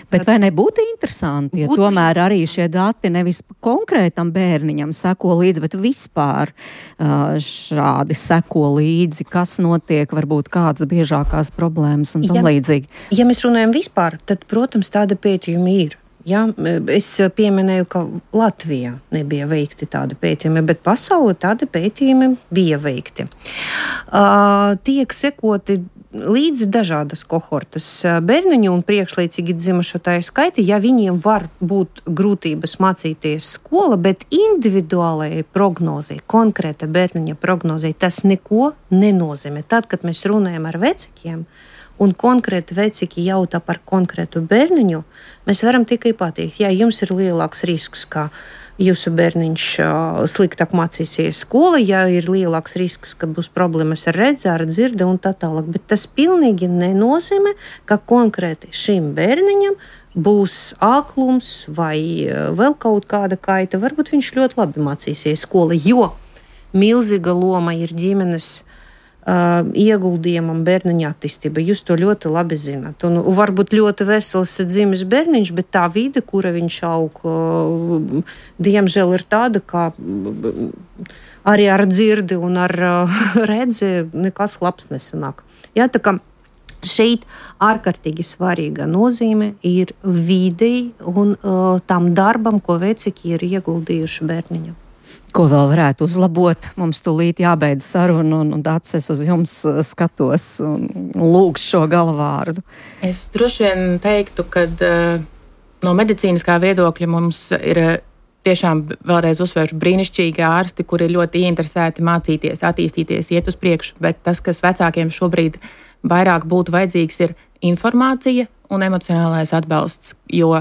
Bet vai nebūtu interesanti, ja Būt... tomēr arī šie dati nevis konkrētam bērniņam seko līdzi, bet vispār uh, šādi seko līdzi, kas notiek, varbūt kādas biežākās problēmas un tam ja, līdzīgi? Ja mēs runājam vispār, tad, protams, tāda pētījuma ir. Ja, es pieminēju, ka Latvijā nebija veikti tādi pētījumi, bet pasaulē tādi pētījumi bija veikti. Uh, tiek sekoti līdzi dažādas kohortas bērniņu un priekšlaicīgi dzimušo tā skaiti, ja viņiem var būt grūtības mācīties skola, bet individuālajai prognozei, konkrēta bērniņa prognozei, tas neko nenozīmē. Tad, kad mēs runājam ar vecākiem, un konkrēti vecāki jautā par konkrētu bērniņu, mēs varam tikai pateikt, ja jums ir lielāks risks, ka jūsu bērniņš uh, sliktāk mācīsies skola, ja ir lielāks risks, ka būs problēmas ar redzi, ar dzirdi un tā tālāk. Bet tas pilnīgi nenozīmē, ka konkrēti šim bērniņam būs āklums vai uh, vēl kaut kāda kaita. Varbūt viņš ļoti labi mācīsies skola, jo milzīga loma ir ģimenes Uh, ieguldījumam bērniņa attīstība. Jūs to ļoti labi zināt. Un varbūt ļoti vesels dzimis bērniņš, bet tā vide, kura viņš aug, uh, diemžēl ir tāda, ka arī ar dzirdi un ar uh, redzi nekas labs nesanāk. Jā, tā kā šeit ārkārtīgi svarīga nozīme ir videi un uh, tam darbam, ko vecāki ir ieguldījuši bērniņam. Ko vēl varētu uzlabot? Mums tūlīt jābeidz saruna, un, un Daces uz jums skatos un lūgšu šo galvārdu. Es droši vien teiktu, ka uh, no medicīniskā viedokļa mums ir uh, tiešām vēlreiz uzsvēršu brīnišķīgi ārsti, kuri ir ļoti ieinteresēti mācīties, attīstīties, iet uz priekšu, bet tas, kas vecākiem šobrīd vairāk būtu vajadzīgs, ir informācija un emocionālais atbalsts, jo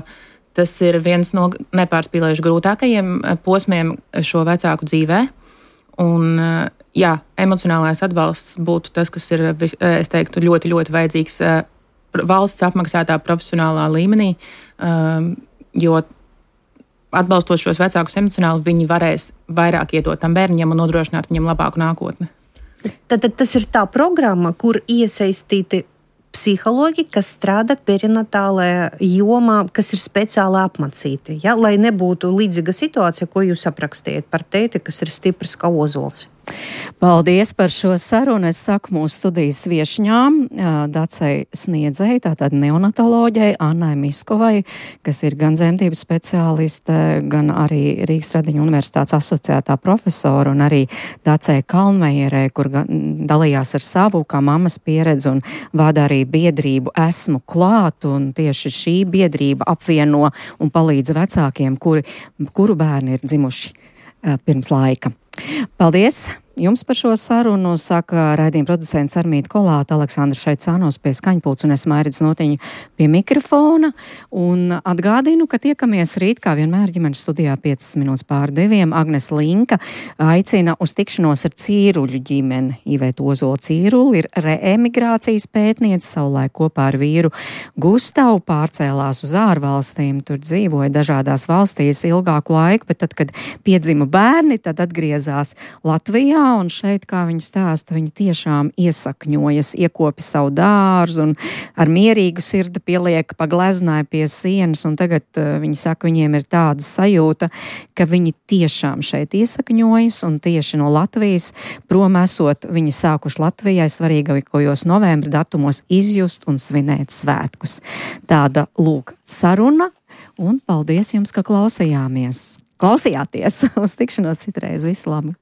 tas ir viens no nepārspīlējuši grūtākajiem posmiem šo vecāku dzīvē. Un, jā, emocionālais atbalsts būtu tas, kas ir, es teiktu, ļoti, ļoti vajadzīgs valsts apmaksātā profesionālā līmenī, jo atbalstot šos vecākus emocionāli, viņi varēs vairāk iedot tam bērniņam un nodrošināt viņam labāku nākotni. Tad, tad tas ir tā programma, kur iesaistīti psihologi, kas strādā perinatālajā jomā, kas ir speciāli apmācīti, ja? Lai nebūtu līdzīga situācija, ko jūs aprakstījat par teiti, kas ir stiprs kā ozols. Paldies par šo sarunu. Es saku mūsu studijas viešņām, Dacei Sniedzei, tātad neonatoloģei, Annai Miskovai, kas ir gan dzemdības speciāliste, gan arī Rīgas Tradiņu universitātes asociētā profesora, un arī Dacei Kalnmejerē, kur dalījās ar savu kā mammas pieredzi un vada arī biedrību Esmu klāt, un tieši šī biedrība apvieno un palīdz vecākiem, kuri, kuru bērni ir dzimuši uh, pirms laika. Paldies jums par šo sarunu, saka raidījuma producents Armīta Kolāta, Aleksandrs Šaicānos pie skaņpults un es Mairits Notiņu pie mikrofona. Un atgādinu, ka tiekamies rīt, kā vienmēr, ģimenes studijā piecas minūtes pār diviem. Agnes Linka aicina uz tikšanos ar Cīruļu ģimeni. Iveta Ozola Cīruli ir reemigrācijas pētniece, savulaik kopā ar vīru Gustavu pārcēlās uz ārvalstīm. Tur dzīvoja dažādās valstīs ilgāku laiku, bet tad, kad piedzima bērni, tad atgriezās Latvijā. Un šeit, kā viņi stāsta, viņi tiešām iesakņojas, iekopi savu dārzu un ar mierīgu sirdi pieliek pa gleznai pie sienas. Un tagad uh, viņi saka, viņiem ir tāda sajūta, ka viņi tiešām šeit iesakņojas un tieši no Latvijas prom esot, viņi sākuši Latvijai svarīgākajos novembra datumos izjust un svinēt svētkus. Tāda lūk saruna un paldies jums, ka klausījāmies. Klausījāties uz tikšanos citreiz. Visu labu!